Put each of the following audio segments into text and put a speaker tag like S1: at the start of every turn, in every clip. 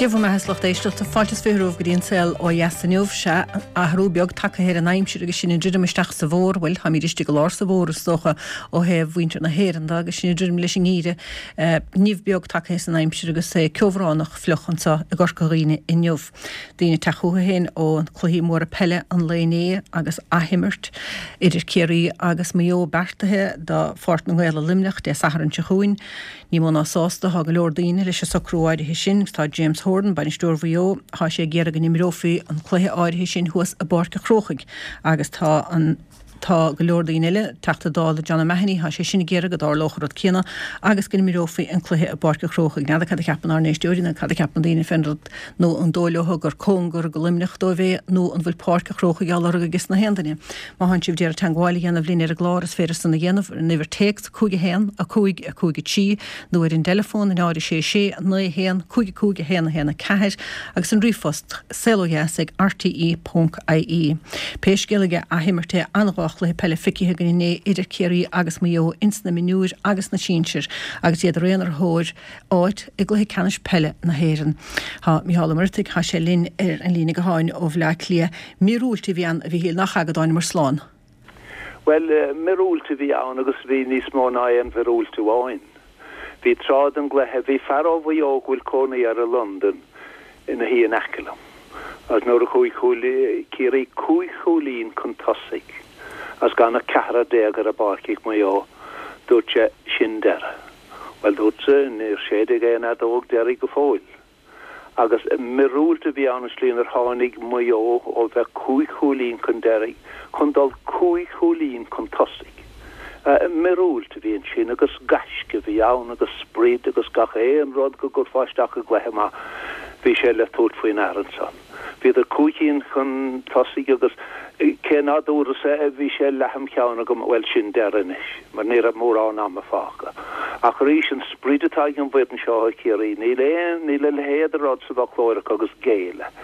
S1: Dia bhur mbeatha a lucht éisteachta, fáilte is 20 romhaibh go dtí an saol ó dheas inniu. Sea, athrú beag tagtha ar an aimsir agus sinn ag druidim isteach sa bhfómhar, bhuel, táimid istigh i lár sa bhfómhar is dócha ó thaobh mhuintir na hÉireann de agus sinn ag druidim leis an ngeimhreadh. Nimh beag tagtha san aimsir agus é ceobhránach fliuch anseo i gCorca Dhuibhne inniu. Daoine ag teacht chucu féin ó chluichí móra peile an lae inné agus athimirt idir Ciarraí agus Maigh Eo beartaithe do Pháirc na nGael i Luimneach Dé Sathairn seo chugainn. Ní mó ná sásta atá go leor daoine leis an socrú áirithe sin agus tá James Horan, bainisteoir Mhaigh Eo, tá sé ag iarraidh go n-imreofaí an cluiche áirithe sin thuas i bPáirc an Chrócaigh agus tá an Tá go leor daoine eile, Teachta Dála John O'Mahony, tá sé sin ag iarraidh go dtarlódh an rud céanna agus go n-imreofaí an cluiche i bPáirc an Chrócaigh. N'fheadar cad a cheapann ár n-éisteoirí nó cad a cheapann daoine fén rud nó an dóigh leo gur cóngar go Luimneach dóibh é nó an bhfuil Páirc an Chrócaigh á lorg ages na haon duine. Má thánn sibh d'iarraidh teangmháil a dhéanamh linn ar an gclár is féidir san a dhéanamh ar an uimhir téacs 5 1 5 5 3 nó ar an dteileafón 0 6 6 9 1 5 5 1 1 4 agus an ríomhphost saolodheas ag rte ponc ie. Pé scéal é athimirt an dá chluiche peile feicthe againn inné idir Ciarraí agus Maigh Eo ins na mionúir agus na sinsir agus iad araon ar thóir áit i gcluiche ceannais peile na hÉireann. Tá Mícheál Ó Muircheartaigh, tá sé linn ar an líne gutháin ó Bhaile Átha Cliath. Míorúilt a bhí ann a Mhichíl nach ea go dtánamar slán.
S2: Bhuel, miorúilt a bhí ann agus bhí níos mó ná aon mhiorúilt amháin. Bhí tráth den gcluiche, bhí fear ó Mhaigh Eo go bhfuil cónaí air i Londain ina shuí in aice liom agus nuair a chuaigh Ciarraí cúig chúilín chun tosaigh agus gan ach ceathrar ar an bpáirc ag Maigh Eo, dúirt sé, sin deireadh. Bhuel, dúrtsa, níor séideadh aon fheadóg deiridh go fóill. Agus miorúilt a bhí ann an tslí inar tháinig Maigh Eo ó bheith cúig chúilín chun deiridh chun dul cúig chúilín chun tosaigh. Miorúilt a bhí ansin agus gaisce a bhí ann agus sprid agus gach aon rud go gcuirfeá isteach i gcluiche maith, bhí sé le tabhairt faoi ndeara ansan. Bhíodar cúig cinn chun tosaigh agus cé ná dúras é, bhí sé leath im cheann agam, bhuel sin deireadh anois, mar ní raibh mórán ama fágtha. Ach arís, an sprid atá ag an bhfoireann seo ó Chiarraí, níl aon, níl a leithéid de rud sa bhfoclóir acu agus géilleadh.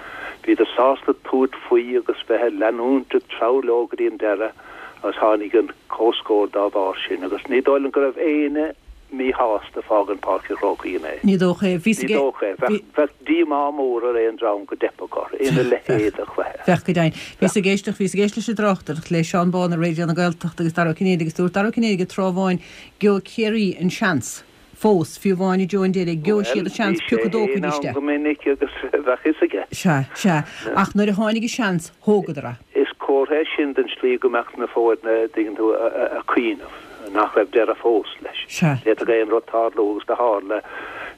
S2: Bhíodar sásta tabhairt faoi agus bheith ag leanúint ag treabhadh leo go dtí an deireadh agus tháinig an comhscór dá bharr sin agus ní dóigh liom go raibh éinne míshásta fágaint Páirc an Chrócaigh inné.
S1: Ní dócha é.
S2: Ní dócha é. Bheadh, bheadh díomá mór ar aon dream go dteipfeadh orthu ina leithéid de chluiche.
S1: Bheadh go deimhin. Bhíos ag éisteacht, bhíos ag éisteacht leis an dtráchtaireacht le Seán Bán ar Raidió na Gaeltachta agus Dara Ó Cinnéide agus dúirt Dara Ó Cinnéide tráth amháin, Gheobhaidh Ciarraí an seans fós, fiú amháin i dtreo an deiridh, gheobhaidh siad an seans
S2: Bhuel, bhí
S1: pioc
S2: sé
S1: a
S2: féin
S1: dtógfaidís
S2: ann
S1: de.
S2: go minic agus bheadh fhios aige.
S1: Sea, sea. Ach nuair a tháinig an seans, thógadar é.
S2: Is comhartha é sin den slí go mbeadh na foirne, a dtuigeann tú, a' cuimhneamh nach raibh deireadh fós leis.
S1: Sea.
S2: D'fhéadfadh aon rud tarlú agus do tharla.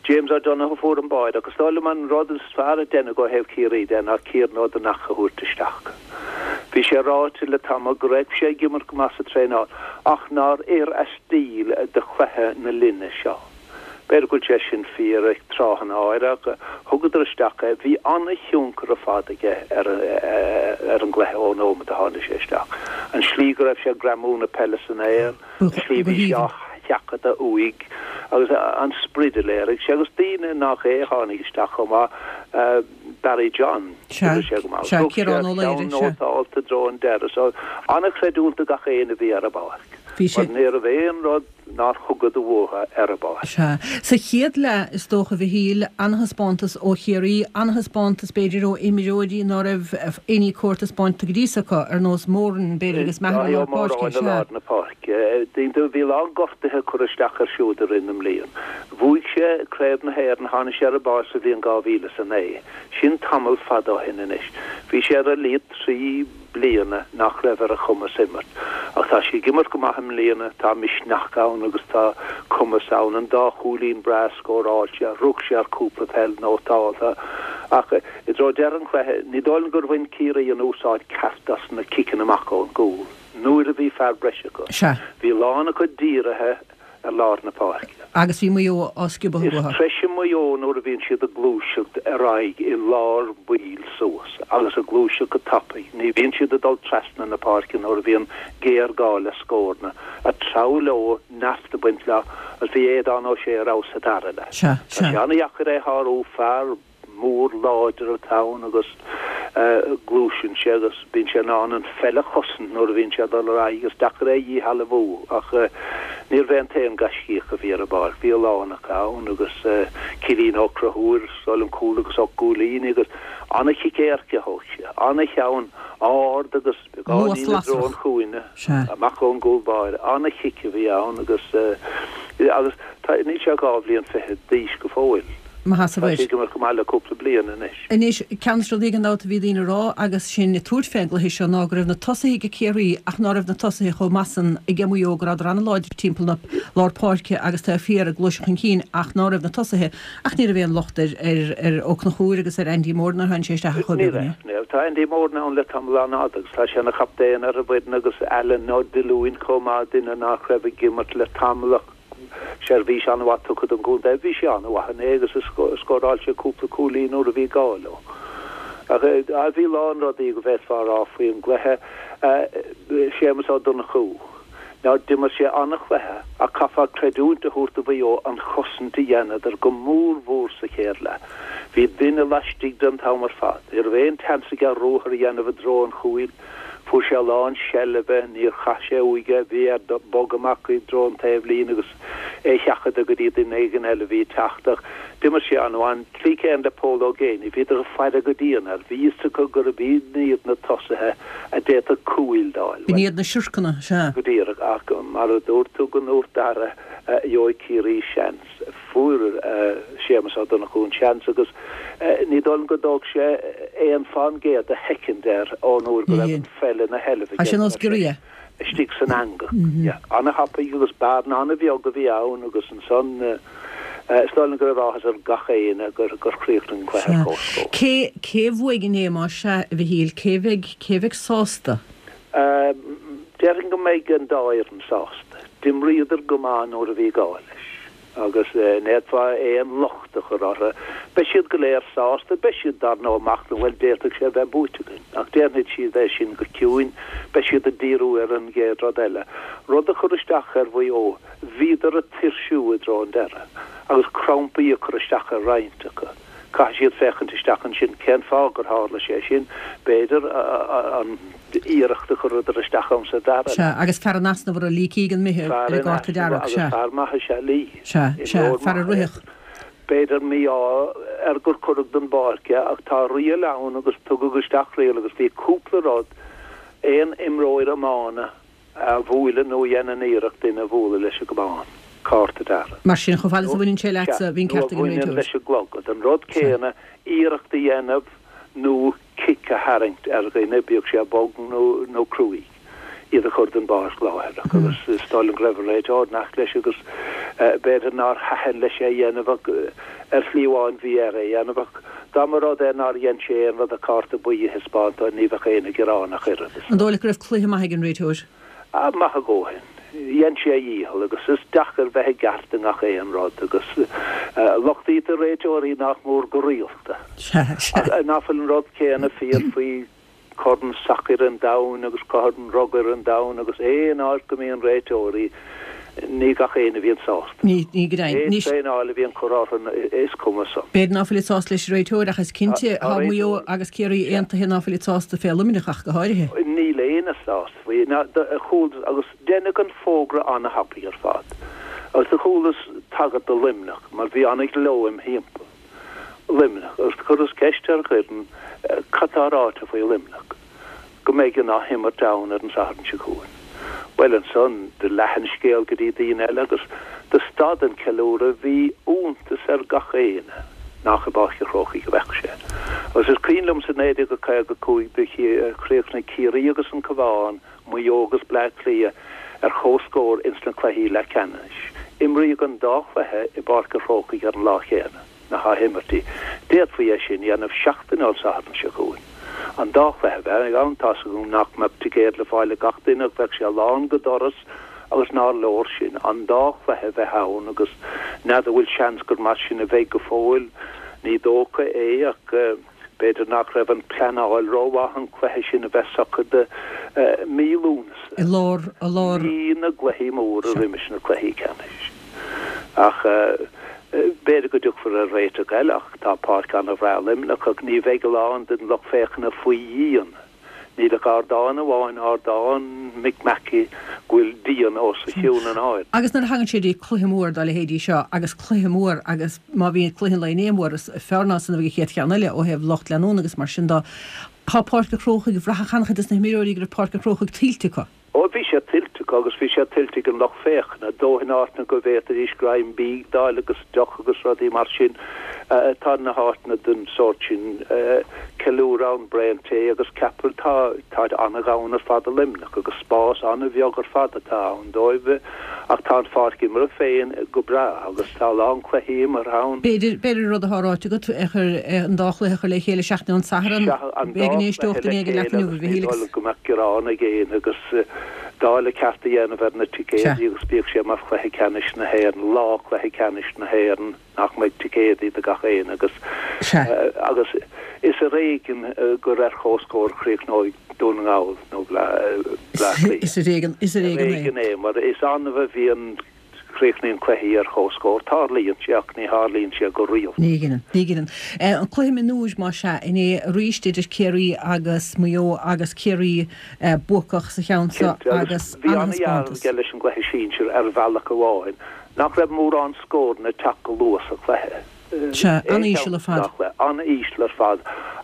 S2: James O'Donoghue a fuair an báide agus is dóigh liom an rud is fearr a deineadh ó thaobh Chiarraí de ná Kieran Ó Donnacha a thabhairt isteach. Bhí sé ráite le tamall go raibh sé ag imirt go maith sa traenáil ach nár oir a stíl do chluiche na linne seo. B'fhéidir go bhfuil sé sin fíor ag tráthanna áirithe ach thugadar isteach é. Bhí an-thionchar ar fad aige ar an gcluiche ón nóiméad a tháinig sé isteach. An slí go raibh sé ag greamú na peile san aer, an slí a bhí sé á sheachadadh uaidh agus an sprid a léirigh sé agus daoine nach é a tháinig isteach chomh maith, Barry John, d'imir sé go maith.
S1: Sea,
S2: Thug sé
S1: Ciarán
S2: a
S1: Ó Laoire,
S2: cheann
S1: sea.
S2: nótálta i dtreo an deireadh so an-chreidiúint do gach éinne a bhí ar an bpáirc
S1: Bhí sé.
S2: mar ní raibh aon rud nár thugadar uathu ar an bpáirc.
S1: Sea. Sa chéad leath, is dócha, a Mhichíl, an-thaispeántas ó Chiarraí, an-thaispeántas, b'fhéidir, ó imreoirí ná raibh éinní cóir taispeánta go dtí so acu, ar nós Moran, b'fhéidir, agus Maher i
S2: Dáithí Ó
S1: lár páirce.
S2: Móráin i
S1: Sea.
S2: lár na páirce. Dtuigeann tú, bhí a lán gortuithe curtha isteach air siúd i rith na mblian. Bhuaigh sé Craobh na hÉireann, tháinig sé ar an bpáirc sa bhliain 2009. Sin tamall fada ó shin anois. Bhí sé ar a laghad 3 bliana nach raibh ar a chumas imirt. Ach tá sé ag imirt go maith i mbliana, tá misneach ann agus tá cumas ann. An dá chúilín breá scóráilte, rug sé ar cúpla peil nótálta. Ach i dtreo deireadh an chluiche, ní dóigh liom gur bhain Ciarraí an úsáid ceart as na ciceanna amach ón gcúl nuair a bhí fear breise acu.
S1: Sea.
S2: Bhí a lán acu dírithe ar lár na páirce.
S1: Agus bhí Maigh Eo á sciobadh
S2: Is
S1: uathu.
S2: treise Maigh Eo nuair a bhíonn siad ag gluaiseacht ar aghaidh i lár baill suas agus ag gluaiseacht go tapaidh. Ní bhíonn siad ag dul trasna na páirce nuair a bhíonn géarghá le scóranna. Ag treabhadh leo, neart ag baint leo agus bhí Aodán Ó Sé ar fheabhas sa dara leath.
S1: Sea,
S2: Tá sé
S1: sea.
S2: an-dheacair é a shárú, fear mór láidir atá ann agus gluaiseann sé agus bíonn sé in ann an pheil a chosaint nuair a bhíonn sé ag dul ar aghaidh. Is deacair é a dhíshealbhú ach. Níorbh é an t-aon gaiscíoch a bhí ar an bpáirc, bhí a lán acu ann agus Cillín Ó Conchúir, is dóigh liom cúl agus 8 gcúilín agus an-chic éirice a thóg sé, an-cheann ard agus beagáinín i dtreo an chúinne, amach ón gcúl báire, an-chic a bhí ann agus agus tá, níl sé ach 2 bhliain fichead d'aois go fóill.
S1: Maith as a
S2: Tá sé ag imirt go maith le cúpla bliain anois.
S1: Anois, ceann de na rudaí gan dabht a bhí daoine a rá agus sinn ag tabhairt fén gcluiche seo ná go raibh na tosaithe ag Ciarraí ach ná raibh na tosaithe chomh maith san ag Maigh Eo, go rabhadar an-láidir timpeall na lár páirce agus taobh thiar ag gluaiseacht chun cinn ach ná raibh na tosaithe ach ní raibh aon locht ar ar ar Ó Conchúir agus ar Andy Moran nuair a tháinig sé isteach ach chomh
S2: Ní raibh, ní raibh. Tá Andy Moran ann le tamall an-fhada agus tá sé ina chaptaen ar an bhfoireann agus Alan Ó Diollúin chomh maith, duine nach raibh ag imirt le tamall ach Seirbhís an-mhaith tugtha don gcontae. Bhí sé an-mhaith inné agus scóráil sé cúpla cúilín nuair a bhí gá leo. Ach bhí a lán rudaí go bhféadfá a rá faoi an gcluiche. Séamus Ó Donnchú. Now d'imir sé an-chluiche ach caithfeá creidiúint a thabhairt do Mhaigh Eo an chosaint a dheineadar go mór mhór sa chéad leath. Bhí duine laistigh de an t-am ar fad. Ní raibh aon tseans aige ruathar a dhéanamh i dtreo an chúil. Fuair sé a lán seilbhe, níor chaith sé uaidh é, bhí air bogadh amach i dtreo an taobhlíne agus é a sheachadadh go dtí duine éigin eile a bhí ag teacht ach d'imir sé an-mhaith. An tslí chéanna le Pól Ó Géibheannaigh, bhíodar ag faire go dian air, bhí fhios acu gurb iad iad na tosaithe a d'fhéadfadh cúil d'fháil.
S1: B'in iad na siorcanna, sea.
S2: Go díreach, ach mar a dúirt tú go ndúirt Dara, gheobhaidh Ciarraí seans. Fuair Séamus Ó Donnchú an seans agus ní dóigh liom go dtóg sé aon fán gcéad de shoicind air ón uair go raibh an pheil ina sheilbh
S1: aige go raibh sé
S2: istigh san eangach. An-thapaidh agus bearna an-bheag a bhí ann agus ansan is dóigh liom go raibh áthas ar gach éinne gur chríochnaigh an cluiche ar comhscór.
S1: Cé cé a bhuaigh inné más ea, a Mhichíl, cé bheidh cé bheidh sásta?
S2: Déarfainn go mbeidh an dá fhoireann sásta. D'imríodar go maith nuair a bhí gá leis agus n'fhéadfá aon locht a chur orthu. Beidh siad go léir sásta, beidh siad dar ndóigh ag machnamh, bhuel d'fhéadfadh sé a bheith buaite againn. Ach déanfaidh siad é sin go ciúin, beidh siad ag díriú ar an gcéad rud eile. Rud a chuir isteach ar Mhaigh Eo, bhíodar ag tuirsiú i dtreo an deireadh agus crampaí ag cur isteach ar roinnt acu. Caithfidh siad féachaint isteach ansin cén fáth gur tharla sé sin, b'fhéidir, an iarracht a chuireadar isteach ann sa dara
S1: leath. Sea, agus fear in easnamh orthu, Lee Keegan imithe
S2: ar an
S1: gcárta dearg,
S2: sea. Agus fear maith is ea Lee.
S1: Sea, sea, fear a rithfeadh.
S2: B'fhéidir mí-ádh air gur cuireadh den bpáirc é ach tá riail ann agus tugadh isteach riail agus bhí cúpla rud, aon imreoir iomána, a bhuaileann nó a dhéanann iarracht duine a bhualadh leis an gcamán, cárta dearg.
S1: Mar sin, chomh fada is a bhaineann sé leatsa, bhí an ceart ag an
S2: réiteoir. Nó a bhaineann leis an gclogad. An rud céanna, iarracht a dhéanamh nó cic a tharraingt ar dhuine, bíodh sé bog nó cruaidh, iad a chur den bpáirc láithreach. Agus is dóigh liom go raibh an réiteoir in aice leis agus b'fhéidir nár thaitin leis é a dhéanamh ach ar shlí amháin bhí air é a dhéanamh ach dá mba rud é nár dhein sé aon rud ach cárta buí a thaispeáint dó ní bheadh éinne gearánach
S1: oiread. An dóigh leat go raibh cluiche maith ag an réiteoir?
S2: Ah, maith a dhóthain. Dhein sé a dhícheall agus is deacair bheith i gceart i ngach aon rud agus lochtaítear réiteoirí nach mór go rialta.
S1: Sea, sea.
S2: Ach ná fuil an rud céanna fíor faoi Corn Sacair an Domhain agus Corn Rugair an Domhain agus aon áit go mbíonn réiteoirí, ní gach éinne a bhíonn sásta.
S1: Ní, ní go deimhin.
S2: Pé traenáil a bhíonn curtha orthu, is cuma san.
S1: B'fhéidir ná fuilid sásta leis an réiteoir ach is cinnte, tá Maigh Eo agus Ciarraí aontaithe ná fuilid sásta fé Luimneach ach go háirithe.
S2: Níl éinne sásta faoi. Ná, chualas, agus deineadh an fógra an-thapaidh ar fad. Agus do chualas tagairt do Luimneach mar bhí an-ghleo im thimpeall. Luimneach, agus do chuireas ceist ar Dhoireann cad tá ráite faoi Luimneach, go mbeidh an athimirt ann ar an Satharn seo chugainn. Bhuel, ansan do leath an scéal go dtí daoine eile agus do stad an ceiliúradh, bhí iontas ar gach éinne nach i bPáirc an Chrócaigh a bheadh sé. Agus is cuimhin liom sa 1955 do chríochnaigh Ciarraí agus an Cabhán, Maigh Eo agus Bleá Cliath ar comhscór ins na cluichí leathcheannais. Imríodh an dá chluiche i bPáirc an Chrócaigh ar an lá chéanna, na hathimirtí. D'fhéadfaí é sin a dhéanamh seachtain ón Satharn seo chugainn. An dá chluiche a bheith ann, tá's agam nach mbeadh ticéad le fáil ag gach duine ach bheadh sé lán go doras agus nár leor sin, an dá chluiche a bheith ann agus n'fheadar bhfuil seans gur mar sin a bheidh go fóill, ní dócha é ach. B'fhéidir nach raibh an pleanáil rómhaith an cluiche sin a bheith socair do mí Lúnasa.
S1: I lár, i lár.
S2: Mí na gcluichí móra roimis na cluichí ceannais. Ach b'fhéidir go dtiocfar ar réiteach eile ach tá páirc an-bhreá i Luimneach ach ní bheidh a lán den lucht féachana faoi dhíon. Níl ach ardán amháin, ardán Mick Mackey, go bhfuil díon os a chionn in airde.
S1: Agus nuair a thagann sé dtí cluiche mór dá leithéidí seo, agus cluiche mór, agus má bhíonn cluiche an lae inné mór, is fearr ná san a bheidh an chéad cheann eile ó thaobh lucht leanúna agus mar sin dó. Tá Páirc an Chrócaigh, bhraithfeadh an-chuid dos na himreoirí go raibh Páirc an Chrócaigh tuillte acu.
S2: Ó, bhí sé tuillte acu agus bhí sé tuillte ag an lucht féachana, dóthain áiteanna go bhféadfaidís greim bídh d'fháil agus deoch agus rudaí mar sin. Tá na háiteanna den sórt sin, ceiliúradh ann, braon tae agus ceapaire, tá, táid an-dhomhain ar fad i Luimneach agus spás an-bheag ar fad atá ann dóibh ach tá an pháirc imeartha féin go breá agus tá a lán cluichí imeartha ann.
S1: B'fhéidir, b'fhéidir an rud atá ráite agat, a chur, an dá chluiche a chur le chéile seachtain ón Satharn.
S2: Sea, an dá chluiche le chéile agus ní dóigh liom go mbeadh gearán ag éinne agus dáileadh ceart a dhéanamh ar na ticéadaí agus bíodh sé mar chluiche ceannais na hÉireann, lá cluiche ceannais na hÉireann nach mbeidh ticéadaí do gach éinne agus agus is ar éigean gur ar comhscór a chríochnóidh Dún na nGall nó Bleá
S1: Cliath. Is ar éigean, is ar éigean
S2: é mar is annamh a bhíonn Críochnaíonn cluichí ar comhscór. Tarlaíonn sé, ach ní tharlaíonn sé go rialta.
S1: Ní ghineann. Ní ghineann. An cluiche mionúir, más ea, inné arís idir Ciarraí agus Maigh Eo agus Ciarraí buacach sa cheann seo
S2: Cinnte, agus
S1: agus
S2: bhí an-dhealramh
S1: an-thaispeántas.
S2: aige leis an gcluiche sinsir ar bhealach amháin nach raibh mórán scóranna ag teacht go luath sa chluiche.
S1: Sea, an-íseal ar fad.
S2: An-íseal ar fad,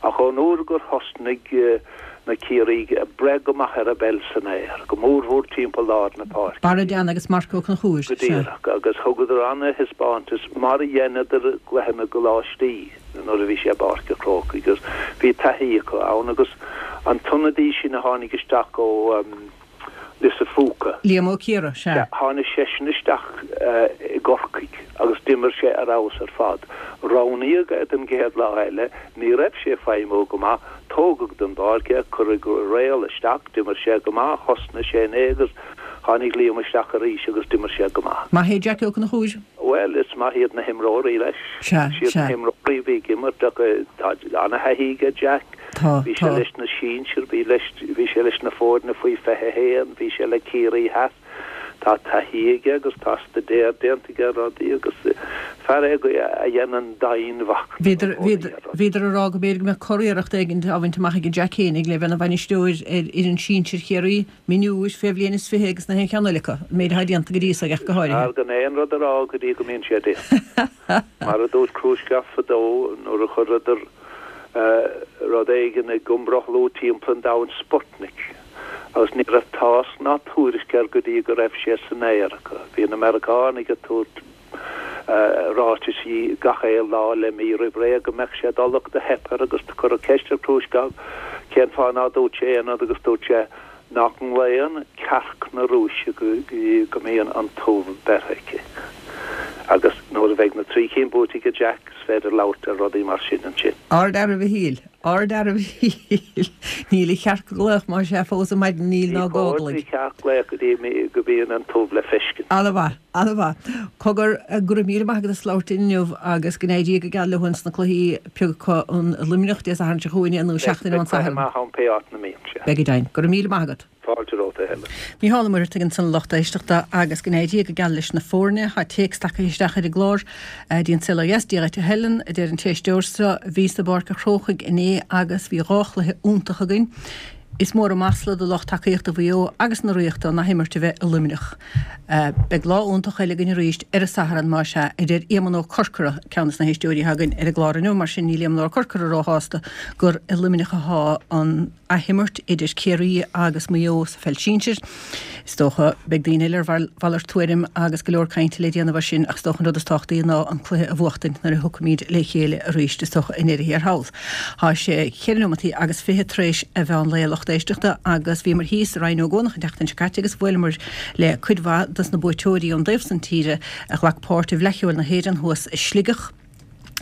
S2: ach ón uair gur thosnaigh na Ciarraígh ag breith go maith ar an bpeil san aer, go mórmhór timpeall lár na páirce.
S1: Barra Deane agus Marc Ó Conchúir,
S2: Go
S1: sea.
S2: díreach, agus thugadar an-thaispeántas, mar a dheineadar i gcluiche na gcoláistí nuair a bhí sé i bPáirc an Chrócaigh, agus bhí taithí acu ann, agus an t-ionadaí sin a tháinig isteach ó. Lios a' Phúca.
S1: Liam Ó Ciardha, sea.
S2: Tháinig seisean isteach i gCorcaigh agus d'imir sé ar fheabhas ar fad. Roghnaíodh é don gcéad lá eile, ní raibh sé ag feidhmiú go maith, tógadh den bpáirc é, cuireadh Réal isteach, d'imir sé go maith, thosnaigh sé inné agus tháinig Liam isteach arís agus d'imir sé go maith.
S1: Maith é Jackie Ó Conchúir.
S2: Bhuel, is maith iad na himreoirí leis.
S1: Sea,
S2: Is iad
S1: sea.
S2: na himreoirí a bhí ag imirt ach tá ana-thaithí aige Jack.
S1: Tá,
S2: Bhí sé
S1: tá.
S2: leis na sinsir, bhí leis, bhí sé leis na foirne faoi 21, bhí sé le Ciarraí Theas. Tá taithí aige agus tá staidéar déanta aige ar rudaí agus fear é a dhéanann domhainmhachnamh i
S1: Bhíodar,
S2: gcónaí
S1: bhíodar,
S2: ar rudaí.
S1: bhíodar ag rá go mb'fhéidir go mbeadh curiarracht éigin á bhaint amach aige Jack fhéinig le bheith ina bhainisteoir ar fhoireann sinsir Chiarraí. Mionúir, fé bhliain is 20 agus na haon cheann eile acu, an méid atá déanta go dtí so aige ach go
S2: Is
S1: háirithe.
S2: fearr gan aon rud a rá go dtí go mbíonn sé déanta. Mar a dúirt Khrushchev fadó nuair a chuireadar rud éigin ag iomrothlú timpeall an domhain, Sputnik, agus ní raibh tásc ná tuairisc air go dtí go raibh sé san aer acu. Bhí na Meiriceánaigh ag tabhairt ráitisí gach aon lá le mí roimh ré go mbeadh sé ag dul ach do theip air agus do cuireadh ceist ar Khrushchev cén fáth ná dúirt sé aon rud agus dúirt sé nach nglaonn cearc na Rúise go dtí go mbíonn an t-ubh beirthe aici. Agus nuair a bheidh na tri cinn buaite aige Jack is féidir labhairt ar rudaí mar sin ansin.
S1: Ardfhear a Mhichíl. Ardfhear a Mhichíl. Níl an chearc ag glaoch más ea fós ar maidin, níl
S2: ná
S1: Ní
S2: chóir don
S1: gáglaigh.
S2: chearc glaoch go dtí go mbíonn an t-ubh le feiscint.
S1: Ana-mhaith, ana-mhaith. Cogar, go raibh míle maith agat as labhairt linn inniu agus go n-éirí go geal leo ins na cluichí pé acu in Luimneach Dé Sathairn seo chugainn nó
S2: Beidh
S1: seachtain ón
S2: beidh cluiche
S1: Satharn.
S2: maith ann pé áit 'na mbíonn sé.
S1: Beidh go deimhin. Go raibh míle maith agat.
S2: Fáilte romhat, a Helen.
S1: Mícheál Ó Muircheartaigh ansan a lucht éisteachta agus go n-éirí go geal leis na foirne. Tá téacs tagtha isteach ar an gclár dtí An Saol Ó Dheas. Dia dhuit a Helen, a deir an t-éisteoir seo. Bhíos i bPáirc a' Chrócaigh inné agus bhí dhá chluiche iontach againn. Is mór an masla do lucht tacaíochta Mhaigh Eo agus na Ríochta an athimirt a bheith i Luimneach. Beidh lá iontach eile againn arís ar an Satharn más ea, a deir Éamonn Ó Corcora, ceann des na héisteoirí atá againn ar an gclár inniu. Mar sin níl Éamonn Ó Corcora róshásta gur i Luimneach atá an athimirt idir Ciarraí agus Maigh Eo sa pheil sinsir. Is dócha, beidh daoine eile ar mhalairt tuairim agus go leor cainte le déanamh air sin ach is dócha an rud is tábhachtaí ná an cluiche a bhuachtaint nuair a thiocfaimid le chéile arís, is dócha, i ndeireadh thiar thall. Tá sé cheithre neomataí agus 20 tar éis a mheán lae a lucht éisteachta agus bhíomar thíos i Rinn Ó gCuanach an tseachtain seo caite agus bhuaileamar le cuid mhaith dos na buaiteoirí ón dtaobh san tíre a ghlac páirt i bhFleadh Cheoil na hÉireann thuas i Sligeach.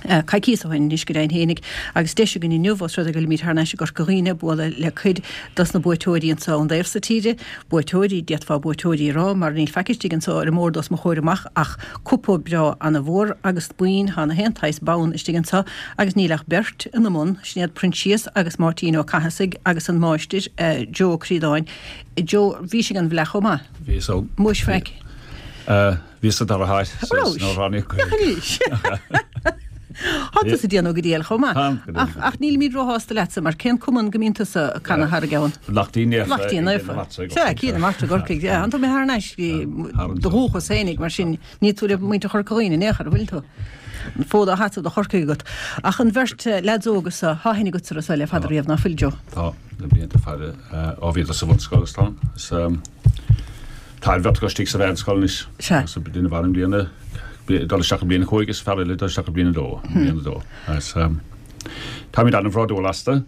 S1: coicíos ó shin anois go deimhin fhéinig, agus deis againn inniu, ós rud é go bhfuilimid thar n-ais i gCorca Dhuibhne, bualadh le cuid dos na buaiteoirí anso ón dtaobh so tíre. Buaiteoirí, d'fhéadfá buaiteoirí a rá, mar níl faic istigh anso ar an mbord os mo chomhair amach ach cupa breá ana-mhór agus boinn, tá na haon tsaghas bonn istigh anso agus níl ach beirt ina mbun, sin iad Proinsias agus Máirtín Ó Cathasaigh agus an máistir, Joe Ó Críodáin. Joe, bhís ag an bhFleadh chomh maith?
S3: Bhíos ó.
S1: Muis faic.
S3: Bhíos sa dara háit
S1: An rabhais?
S3: Nach
S1: arís! Tá tusa ag déanamh go diail chomh maith.
S3: Táim go diail.
S1: Ach nílimid róshásta leatsa mar cén cumann go mbíonn tusa ag canadh thar a gceann?
S3: Lachtaín Naofa.
S1: Lachtaín Naofa. Sea, Cill na Martra i gCorcaigh. Tá tú imithe thar n-ais go do dhúchas fhéinig mar sin níl tú le muintir Chorca Dhuibhne in aon chor, an bhfuil tú? An fód á sheasamh do Chorcaigh agat. Ach an bheirt leaids óga so, tá aithne agatsa orthu so le fada riamh, ná fuil, Joe?
S3: Tá, le blianta fada. Ó bhíodar sa bhunscoil is tá. Tá an bheirt acu istigh sa mheánscoil anois.
S1: Sea.
S3: Agus duine amháin i mbliain a, ag dul isteach i mbliain a 5 is fear eile ag dul isteach i mbliain a dó, i mbliain a dó. Agus táimid an-bhródúil astu,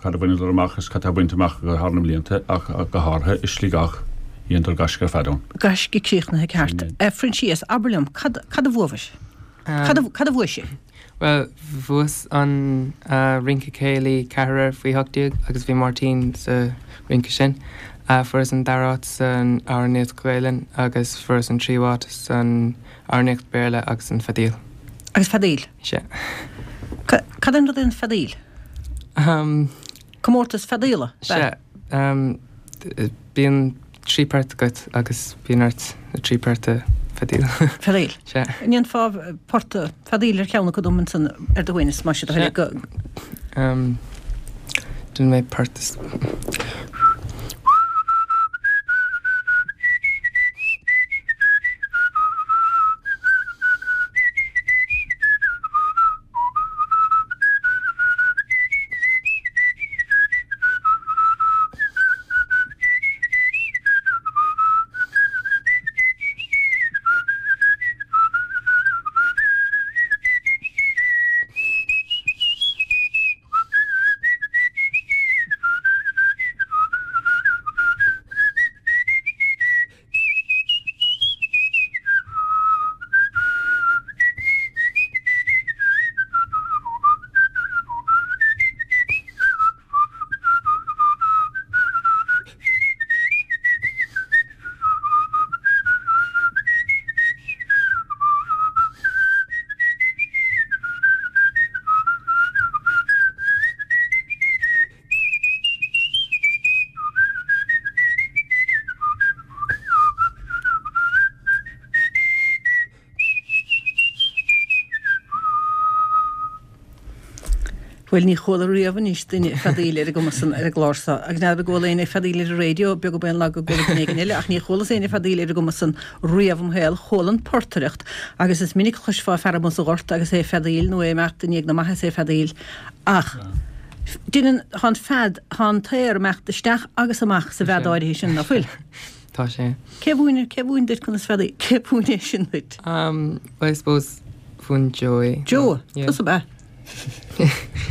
S3: cad a bhaineadar amach is cad tá bainte amach acu thar na mblianta ach go háirithe i Sligeach, dheineadar gaisce ar fad ann.
S1: Gaisce críochnaithe ceart. A Phroinsias, abair liom, cad, cad a bhuabhais? Cad a, cad a bhuaigh sibh?
S4: Bhuel, bhuas an rince céilí ceathrar faoi 18 agus bhí Máirtín sa rince sin. Fuaireas an dara háit san amhránaíocht Ghaelainn agus fuaireas an tríú háit san amhránaíocht Béarla agus an feadaíl.
S1: Agus feadaíl?
S4: Sea.
S1: Cad é an rud é an feadaíl? Comórtas feadaíola, ab
S4: ea? Sea. Bíonn 3 port agat agus bíonn ort na 3 port a feadaíl.
S1: Feadaíl.
S4: Sea.
S1: An ndéanfá port feadaíl ar cheann acu dom ansan ar do shuaimhneas, más é do thoil é go.
S4: Déanfaidh mé port is.
S1: Bhuel, ní chuala riamh anois duine ag feadaíl ar an gcuma san ar an gclár seo, agus n'fheadar an gcuala éinne ag feadaíl ar an raidió, beag ab aon lag go gcuala duine éigin eile, ach ní chualas éinne ag feadaíl ar an gcuma san riamh im shaol. Chuala an portaireacht, agus is minic a chloisfeá fear amuigh sa ghort agus é ag feadaíl, nó é ag imeacht i ndiaidh na maithe is é ag feadaíl, ach deineann, tá an fead, tá an t-aer ag imeacht isteach agus amach sa bhfead áirithe sin, ná fuil?
S4: Tá sé.
S1: Cé mhúin, cé mhúin duit conas feadaíl, cé mhúin é sin duit?
S4: Um, well, I suppose, mhúin Joe é.
S1: Joe? Yeah. Tusa ab ea?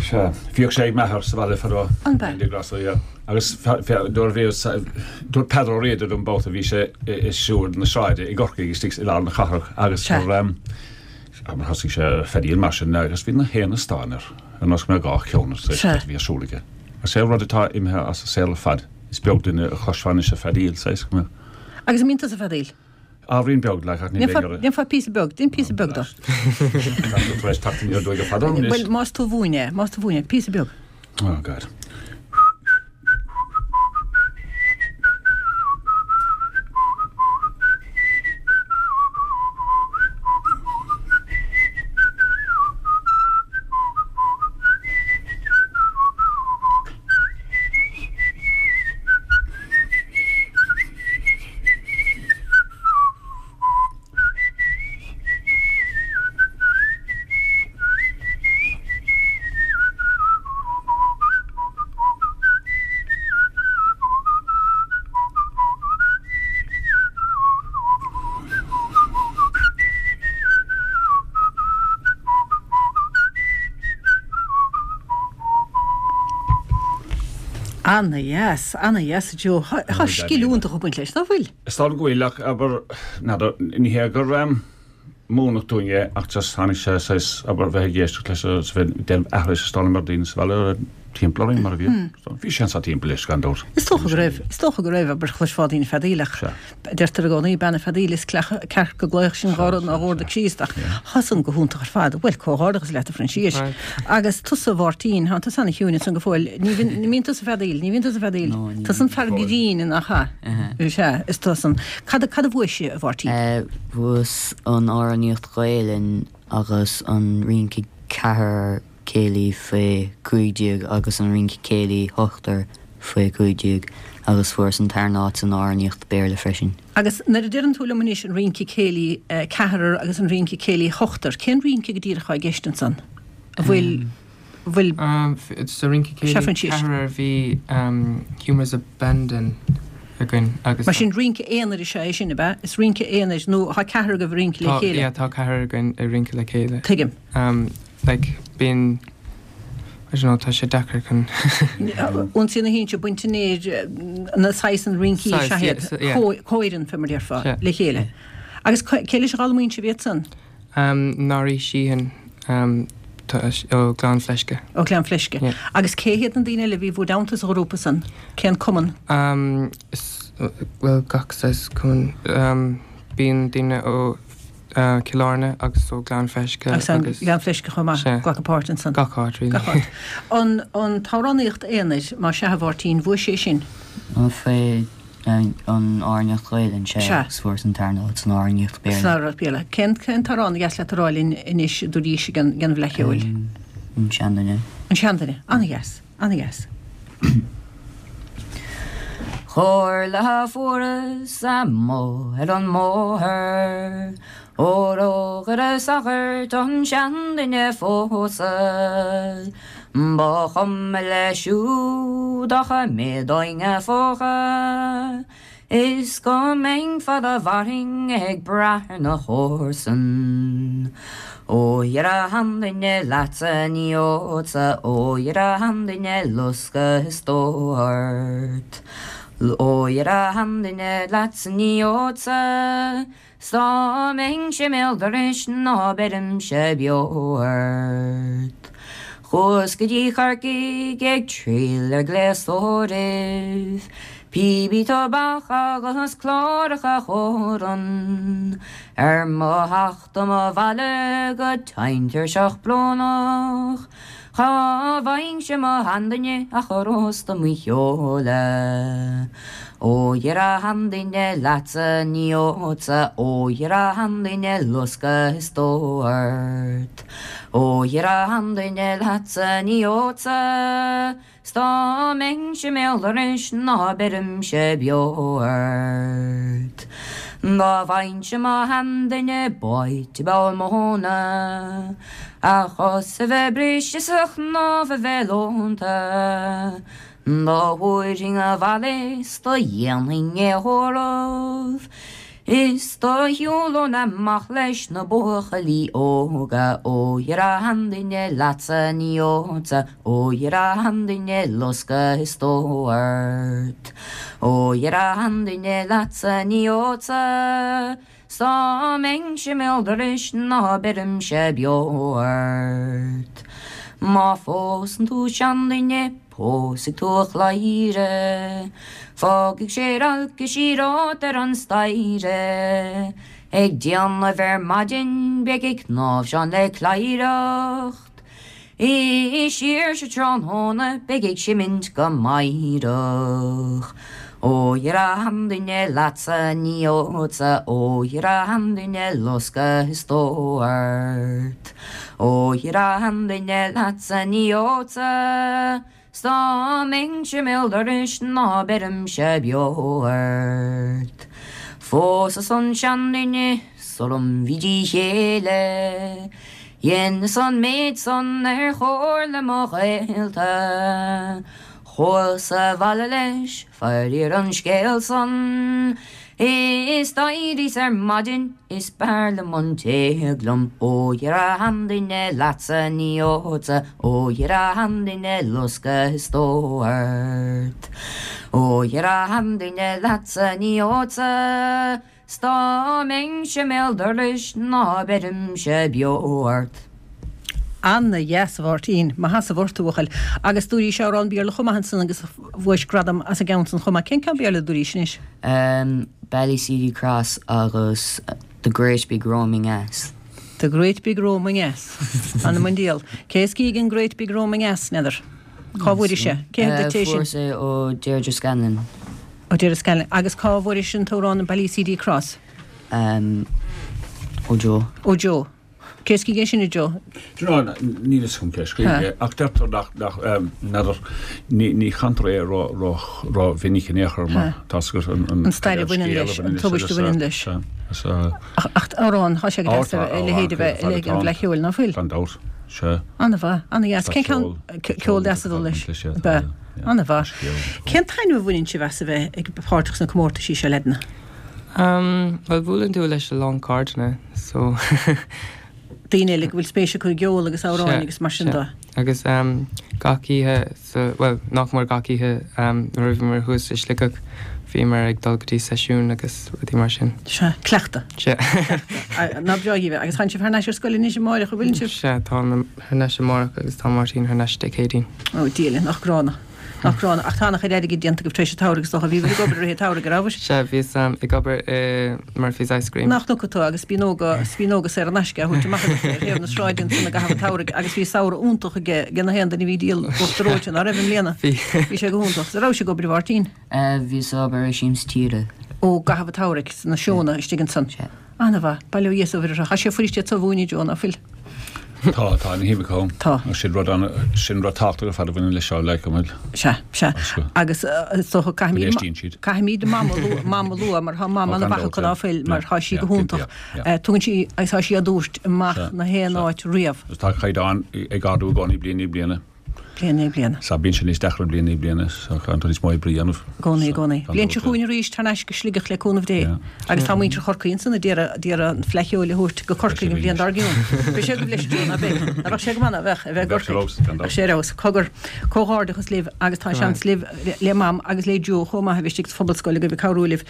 S3: Sea, bhíodh sé ag m'athair sa bhaile fadó.
S1: An b'ea?
S3: Andy Grosso, yeah. Agus nuair a bhí, dúirt Peadar Ó Riada dom babhta bhí sé ag siúl na sráide i gCorcaigh istigh i lár na cathrach agus
S1: Sea.
S3: gur mar thosaigh sé ag feadaíl mar sin agus bhí na haon stán air ar nós go mbeadh dhá cheann air
S1: Sea.
S3: a bhí ar siúl aige. Agus é rud atá imithe as an saol ar fad, is beag duine a chloisfeá anois ag feadaíl, saghas go mbeadh.
S1: Agus an mbíonn tusa ag feadaíl?
S3: Ábhairín beag, like, ach ní bheidh ar.
S1: Déanfá píosa beag, déan píosa beag dó.
S3: Tá tú tar éis teacht aniar aduaidh ar fad orm anois.
S1: Bhuel, más tú a mhúin é, más tú a mhúin é, píosa beag.
S3: Oh God.
S1: Ana dheas, ana dheas a Joe. Tá scil iontach ag baint leis, ná fuil?
S3: Is dóigh liom go bhfuil, ach abair, n'fheadar, ní hé gur múineadh dúinn é ach just tháinig sé saghas, abair, bheith ag éisteacht leis agus bheith ag déanamh aithris is dóigh liom ar daoine sa bhaile timpeall orainn mar a bhí. Bhí sé anso timpeall leis gan dabht.
S1: Is dócha go raibh, is dócha go raibh, abair, chloisfeá daoine ag feadaíl ach deirtear i gcónaí, bean ag feadaíl is cearca ag glaoch sin dhá rud ná dhórda Críost ach tá san go hiontach ar fad. Bhuel, comhghairdeachas leat a Phroinsiais. Agus tusa a Mháirtín, tá tusa ana chiúin ansan go fóill. Ní bhíonn, ní bhíonn tusa ag feadaíl, ní bhíonn tusa ag feadaíl.
S5: No, ní
S1: Tusa an fear grinn, nach ea? Sea, is tusa an. Cad, cad a bhuaigh sibh, a Mháirtín?
S5: Bhuas an amhránaíocht Ghaelainn agus an rince. ceathrar céilí faoi 15 agus an rince céilí ochtar faoi 15 agus fuaireas an tarna áit san amhránaíocht Béarla freisin.
S1: Agus nuair a deireann tú liom anois an rince céilí ceathrar agus an rince céilí ochtar, cén rince go díreach atá i gceist ansan? An bhfuil, bhfuil.
S4: Sa rince
S1: Sea,
S4: céilí
S1: Proinsias.
S4: ceathrar bhí Humours Abandon againn agus.
S1: Mar sin rince aonair is ea é sin, ab ea? Is rince aonair nó tá ceathrar agaibh ag rince le
S4: Tá,
S1: chéile?
S4: yeah, tá ceathrar againn ag rince le chéile.
S1: Tuigim.
S4: Like, bíonn, I don't know, tá sé deacair chun.
S1: Ionsaí na hInse, baint an aeir, na saghas an rincí
S4: Saghas,
S1: sea
S4: yeah,
S1: iad,
S4: so, yeah.
S1: comhfhoireann fé mar déarfá,
S4: Sea.
S1: le chéile. Agus cé leis a d'fhoghlaimíonn sibh iad san?
S4: Norrie Sheehan, tá, ó Ghleann Fleisce.
S1: Ó Ghleann Fleisce.
S4: Yeah.
S1: Agus cé hiad na daoine eile a bhí bhur dteannta sa ghrúpa san? Cén cumann?
S4: Is, bhuel, gach saghas cumann. Bíonn daoine ó Cill Airne agus ó Ghleann Fleisce
S1: agus. Agus Gleann Fleisce chomh maith,
S4: Sea.
S1: glacadh páirt ansan.
S4: Gach áit, really.
S1: Gach áit. An, an t-amhránaíocht aonair, más sea a Mháirtín, bhuaigh sé sin?
S5: Faoi an amhránaíocht Ghaelainn, sea,
S1: Sea.
S5: agus fuaireas an tarna áit san amhránaíocht Béarla.
S1: San amhránaíocht Béarla. Cén, cén t-amhrán a dheas leat a rá linn anois i dtuairisc ag an, ag an bhFleadh Cheoil?
S5: An Seanduine.
S1: An Seanduine. Ana-dheas. Ana-dheas.
S5: Comhairle a fuaireas amuigh ar an mbóthar Ó rógaire sagairt an seanduine phósadh Ba chuma leis siúd ach a méadóinn a phóca Is go mbeinn fad a mhairfinn ag brath ar na comharsain. Ó dhera a sheanduine leatsa ní ólfadsa, ó dhera a sheanduine loscadh is dó ort. Ó dhera a sheanduine leatsa ní ólfadsa, 'S dá mbeinnse i mbéal dorais ná beirimse beo ort. Chuas go dtí Corcaigh ag triall ar gléastóiribh, píopaí tobac agus cláracha Chóran. Ar mo theacht dom abhaile go tinn tuirseach brónach, Cha bhfaighinnse mo sheanduine ach a rósta mo sheoladh. Ó dhera a sheanduine leatsa ní ólfadsa, ó dhera a sheanduine loscadh is dó ort. Ó dhera a sheanduine leatsa ní ólfadsa, 's dá mbeinnse i mbéal dorais ná beirimse beo ort. Dá bhfaighinnse mo sheanduine báite i bpoll móna, A chos a bheith briste 's a chnámh a bheith leonta, Do thabharfainn abhaile 's do dhéanfainn é a thórramh, Is do shiúlóinn amach leis na buachaillí óga, Ó dhera a sheanduine leatsa ní ólfadsa, ó dhera a sheanduine loscadh is dó ort. Ó dhera a sheanduine leatsa ní ólfadsa, 's dá mbeinnse i mbéal dorais ná beirimse beo ort. Má phósann tú seanduine Pósfaidh tú a chladhaire, fágfaidh sé rilce siar romhat ar an staighre. Ag déanamh ar maidin beidh ag cnáimhseán le cladhaireacht, is siar sa tráthnóna beidh ag seimint go meidhreach. Ó dhera a sheanduine leatsa ní ólfadsa, ó dhera a sheanduine loscadh is dó ort. Ó dhera a sheanduine leatsa ní ólfadsa, 's dá mbeinnse i mbéal dorais ná beirimse beo ort. Phósas an seanduine sulam bhí de chéile, dheineas an méid san ar chomhairle mo ghaolta. Chuas abhaile leis, faraor an scéal san, is d'éiríos ar maidin is b'fhearr liom an t-éag liom. Ó dhera a sheanduine leatsa ní ólfadsa, ó dhera a sheanduine loscadh is dó ort. Ó dhera a sheanduine leatsa ní ólfadsa, 'S dá mbeinnse i mbéal dorais ná beirimse beo ort.
S1: Ana-dheas, a Mháirtín. Maith as ucht, a bhuachaill. Agus dúraís amhrán Béarla chomh maith ansan agus bhuais gradam as an gceann san chomh maith. Cén ceann Béarla a dúraís anois?
S5: Ballyseedy Cross agus The Great Big Roaming Ass.
S1: The Great Big Roaming Ass. M'anam 'on diabhal. Cé is gíog an Great Big Roaming Ass, n'fheadar? Cá bhfuairis é? Cé thug duit é sin?
S5: Fuaireas é ó Deirdre Scanlon.
S1: Ó Deirdre Scanlon. Agus cá bhfuairis an t-amhrán Ballyseedy Cross?
S5: Ó Joe.
S1: Ó Joe. Cé a scrígh é sin, a Joe?
S3: Do you know, níl fhios agam cé a scrígh é, ach deirtear nach, nach, n'fheadar, ní, ní chantar é ró, ró, ró mhinic in aon chor mar tá 's agat an,
S1: an, An stair a bhaineann leis, an tubaist a bhaineann leis.
S3: Sea, sea.
S1: Ach, ach amhrán, tá sé go deas a leithéid a bheith, a leithéid an bhFleadh Cheoil, ná fuil?
S3: Gan dabht, sea.
S1: An-mhaith, an-dheas. Cén ceann, ceol deas a dul leis. Ab ea? An-mhaith. Cén taitneamh a bhaineann sibh as a bheith ag páirteach sna comórtaisí seo, leaideanna?
S4: Bhuel, buaileann tú leis a lán cairdeanna, so.
S1: Daoine eile go bhfuil spéis acu i gceol agus amhráin agus mar sin de.
S4: Agus gach oíche sa, bhuel, nach mór gach oíche nuair a bhíomar thuas i Sligeach, bhíomar ag dul go dtí seisiún agus rudaí mar sin.
S1: Sea, cleachtadh.
S4: Sea.
S1: Nach breá dhaoibh é. Agus tánn sibh thar n-ais ar scoil anois amáireach, an bhfuileann sibh?
S4: Sea, táim thar n-ais amárach agus tá Máirtín thar n-ais Dé Céadaoin.
S1: Ó, Dia linn, nach gránna. Nach gránna. Ach tá an-chuid airgid déanta agaibh tar éis an tsamhraidh is dócha. Bhíobhair ag obair i rith an tsamhraidh, an rabhair?
S4: Sea, bhíos ag obair i Murphy's Ice Cream.
S1: Nach dtuigfidh tú, agus spíonóga, spíonóga saor in aisce á thabhairt amach agat ar thaobh na sráide ansan i gcaitheamh an tsamhraidh agus bhí samhradh iontach ag ag na haon duine a bhí ag díol uachtar reoite, ná raibh i mbliana?
S4: Bhí.
S1: Bhí sé go hiontach. An rabhais ag obair, a Mháirtín?
S5: Bhíos ag obair i Siamsa Tíre.
S1: Ó, i gcaitheamh an tsamhraidh, sna seónna istigh ansan.
S5: Sea.
S1: Ana-mhaith. Bail ó Dhia is ó Mhuire orthu. Tá sé fuirist iad so a mhúineadh, Joe, ná fuil?
S3: Tá, tá ana-shuim acu ann.
S1: Tá.
S3: Sin rud ana, sin rud tábhachtach ar fad a bhaineann leis seo, like, an bhfuil?
S1: Sea, sea. Agus is dócha
S3: caithfimid, Go n-éistíonn siad.
S1: caithfimid Mam a lua, Mam a lua mar tá Mam
S3: Ó, gan
S1: ana-mhaith
S3: dabht,
S1: acu, ná fuil, mar tá sí go hiontach. Tugann sí, agus tá sí á dtabhairt amach
S3: Sea,
S1: na haon
S3: sea.
S1: áit riamh.
S3: Agus tá caighdeán ag ardú i gcónaí bliain i ndiaidh bliana.
S1: Bliain i ndiaidh bliana.
S3: Sea, bíonn sé níos deacra bliain i ndiaidh bliana, so caithfidh tú níos mó oibre a dhéanamh.
S1: I gcónaí, i gcónaí. Bliain seo chugainn arís, thar n-ais go Sligeach le cúnamh Dé. Agus tá muintir Chorcaí ansan a d'iarraidh, d'iarraidh an Fleadh Cheoil a thabhairt go Corcaigh an bhliain dár gcionn. Beidh sé agaibh leis Joe, ná beidh? Ná beadh sé go maith, ná beadh, a bheith i
S3: Bheadh sé
S1: gCorcaigh?
S3: ar fheabhas, gan dabht.
S1: Bheadh sé ar fheabhas. Cogar, comhghairdeachas libh agus tá seans libh, le Mam agus le Joe chomh maith a bheith istigh sa Phobalscoil agaibh ag cabhrú libh.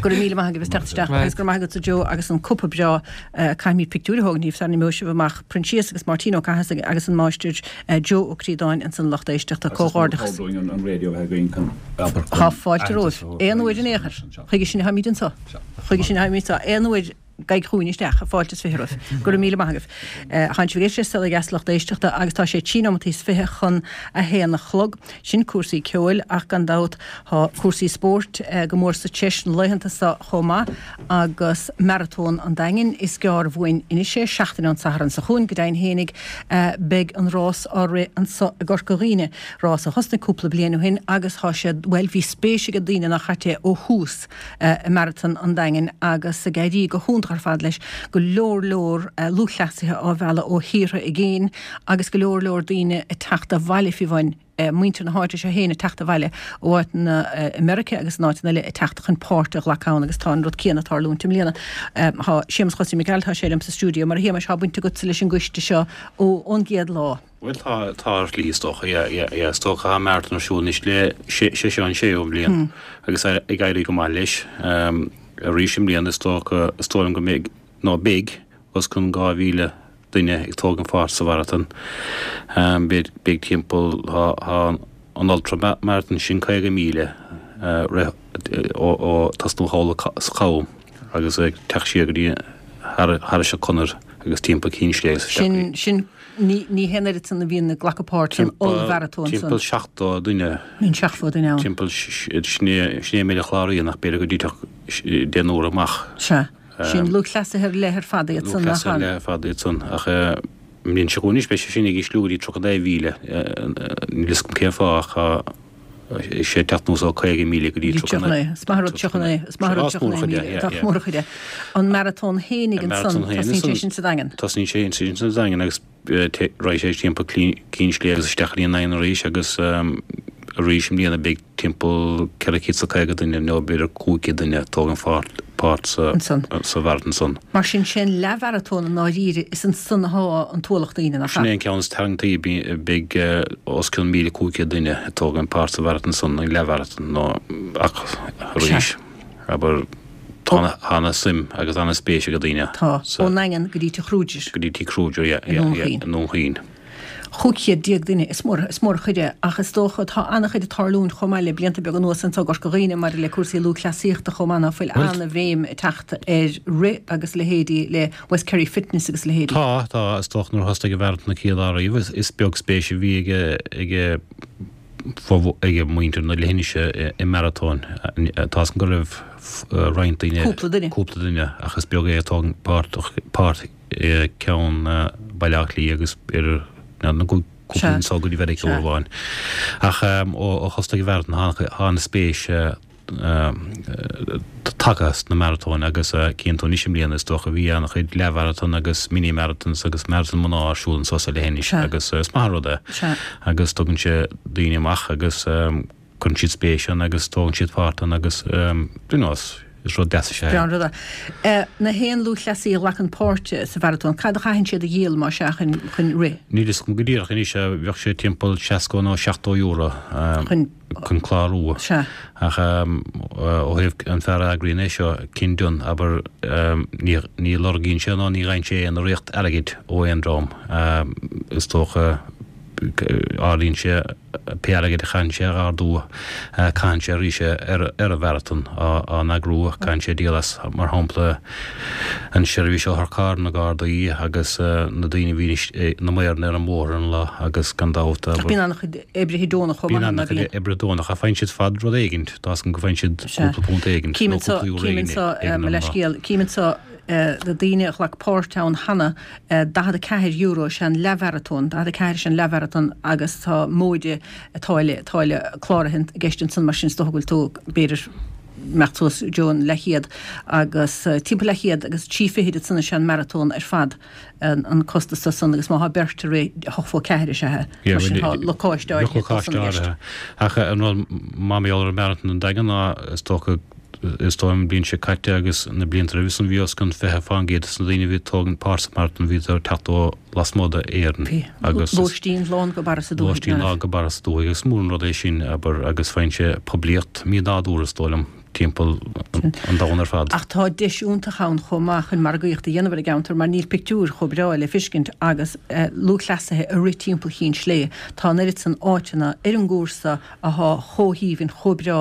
S1: Go raibh míle maith agaibh as teacht isteach agus go raibh maith agatsa Joe agus an cupa breá. Caithfimid pictiúir a thógaint díobh sara n-imeoidh sibh amach. Proinsias agus Máirtín Ó Cathasaigh agus an Máistir Joe Ó Críodáin ansan lucht éisteachta. Comhghairdeachas. Tá fáilte romhaibh. Aon uair in aon chor. Chuige sin a tháimid anso. Chuige sin a tháimid anso. Aon uair. Gabhaigí chugainn isteach, fáilte is 20 romhaibh. Go raibh míle maith agaibh. Tánn sibh ag éisteacht le Saol Ó Dheas lucht éisteachta agus tá sé trí nóimeataí is 20 chun a haon a chlog. Sin cúrsaí ceoil ach gan dabht tá cúrsaí spóirt go mór sa treis na laethanta seo chomh maith agus Maratón an Daingin. Is gearr uainn anois é, seachtain ón Satharn seo chugainn go deimhin fhéinig beidh an rás á rith anso i gCorca Dhuibhne, rás a thosnaigh cúpla bliain ó shin agus tá sé, bhuel bhí spéis ag daoine nach ait é ó thús. i Maratón an Daingin agus ag éirí go hiontach ar fad leis, go leor leor lúthchleasaithe á mhealladh ó thíortha i gcéin agus go leor leor daoine ag teacht abhaile fiú amháin, muintir na háite seo féin ag teacht abhaile ó áiteanna i Meiriceá agus in áiteanna eile ag teacht chun páirt a ghlacadh ann agus tá an rud céanna ag tarlúint i mbliana. Tá Séamus Chosaí Mac Gearailt, tá sé liom sa stiúideo. Mar a Shéamais, tá baint agatsa leis an gcoiste seo ón gcéad lá.
S6: Bhuel tá, tá ar shlí is dócha, yeah, yeah, yeah, is dócha tá marathon ar siúl anois le, sé, sé seo an séú bliain agus ag éirí go maith leis. Arís i mbliana is dócha, is dóigh liom go mbeidh, nó beidh, os cionn 2,000 duine ag tógaint pháirt sa mharathon. Beidh, beidh timpeall, tá, tá an ultra marathon sin 50 míle rith ó, ó tosnú thall sa Chabhán agus ag teacht siar go dtí thar, thairis an Conair agus timpeall Cinn Sléibhe
S1: is isteach go dtí. Sin, sin Ní hé an oiread san a bhíonn ag glacadh páirt san ollmharatón san.
S6: Timpeall 70 duine.
S1: Bíonn 70 duine ann.
S6: Timpeall, sin é an méid a chláraíonn ach b'fhéidir go dtitfeadh deichniúr amach.
S1: Sea. Sin lúthchleasaithe ar leith ar fad iad san,
S6: nach ea? Lúthchleasaithe ar leith ar fad iad san ach an mbliain seo chugainn anois beidh sé sin ag ísliú go dtí 39,000. Níl fhios agam cén fáth ach tá. sé ag teacht anuas ó 50,000 go dtí
S1: 39. Is maith an rud 39. Is maith an rud 39,000. Tá mór an chuid é. An maratón fhéinig ansan, tosaíonn sé sin sa Daingean.
S6: Tosaíonn sé sin sa Daingean agus raghaidh sé timpeall Cinn Sléibhe agus isteach go dtí an Daingean arís agus arís i mbliana beidh timpeall 450 duine nó b'fhéidir 500 duine ag tógaint páirt sa mharatón san.
S1: Mar sin, sé an leathmharatón i ndáiríre, is ansan athá an t-ualach daoine, nach
S6: ea? Sin é an ceann is tarraingtí, beidh os cionn 1,500 duine ag tógaint páirt sa mharatón san, an leathmharatón, nó ach arís, abair, tá ana-suim agus ana-spéis ag daoine
S1: Tá, ón nDaingean go dtí Tigh Kruger.
S6: Go dtí Tigh Kruger, yeah, yeah, yeah, i nDún Chaoin.
S1: 1500 duine, is mór, is mór an chuid é, ach is dócha, tá an-chuid ag tarlúint chomh maith le blianta beaga anuas anso i gCorca Dhuibhne maidir le cúrsaí lúthchleasaíochta chomh maith, ná fuil an-bhéim ag teacht ar rith agus leithéidí le West Kerry Fitness agus leithéidí.
S6: Tá, tá, is dócha nuair a thosnaigh an mharatón an chéad lá riamh, is beag spéis a bhí ag, ag, ag muintir na leithinise i maratóin. Tá 's agam go raibh roinnt daoine,
S1: Cúpla duine.
S6: cúpla duine, ach is beag é ag tógaint páirt, páirt. ceann Baile Átha Cliath agus b'fhéidir na cúpla anso go dtí Mheiriceá uair amháin. Ach ó thosnaigh an mharatón tá an-spéis tagtha sna maratóin agus cíonn tú anois i mbliana is dócha bhí an-chuid leathmharatón agus mini marathons agus maratón mná ar siúl anso sa leithinis agus is maith an rud é agus tugann sé daoine amach agus cuireann siad spéis ann agus tógann siad páirt ann agus you know is rud deas is ea é.
S1: Breá an rud é. Na haon lúthchleasaí a ghlacann páirt sa mharatón, cad a chaitheann siad a dhíol más ea chun chun rith?
S6: Níl fhios agam go díreach anois, bheadh sé timpeall 60 nó 70 euro.
S1: Chun.
S6: chun clárú.
S1: Sea.
S6: Ach ó thaobh an fear a eagraíonn é seo, Ken Dunne, abair, ní ní lorgaíonn sé ná ní fhaigheann sé aon urraíocht airgid ó aon dream. Is dócha, áiríonn sé pé airgead a chaitheann sé a ardú, caitheann sé arís é ar ar an mharatón á n-eagrú, caitheann sé díol as, mar shampla, an seirbhís otharcharr, na Gardaí agus na daoine a bhíonn na maoranna ar an mbóthar an lá agus gan dabht,
S1: abair. Bíonn an-chuid oibrithe deonacha chomh maith,
S6: ná bíonn? Bíonn an-chuid oibrithe deonacha ach faigheann siad fad rud éigint, tá 'fhios agam go bhfaigheann siad cúpla punt éigint
S1: nó cúpla euro éigin ag an lá. Cím anseo na daoine a ghlac páirt ann cheana, €44 is ea an leathmharatón, 44 is ea an leathmharatón agus tá móide táille, táille cláraithe i gceist ansan mar sin is dócha go bhfuil tú b'fhéidir imeacht suas go dtí an leathchéad agus timpeall leathchéad agus 3 fichid ansan is ea an maratón ar fad. an costas de san agus má thá beirt ag rith 8.4 is ea é. Mar sin tá lacáiste áirithe
S6: dó san i gceist. Ach an rud maith mar gheall ar an Marathon an Daingean ná is dócha is dóigh an bhliain seo caite agus na blianta roimhe san bhí os cionn 20% de na daoine a bhí ag tógaint páirt sa Marathon bhíodar ag teacht ó lasmuigh d'Éirinn
S1: Bhí agus lóistín lán go barra sa dúthaigh
S6: lóistín lán go barra sa dúthaigh agus mór an rud é sin abair agus faigheann sé poiblíocht mí-nádúrtha is dóigh liom. timpeall an domhain ar fad.
S1: Ach tá deis iontach ann chomh maith chun margaíocht a dhéanamh ar an gceantar mar níl pictiúir chomh breá le fiscint agus lúthchleasaithe ag rith timpeall Chinn Slé. Tá an oiread san áiteanna ar an gcúrsa athá chomh haoibhinn, chomh breá,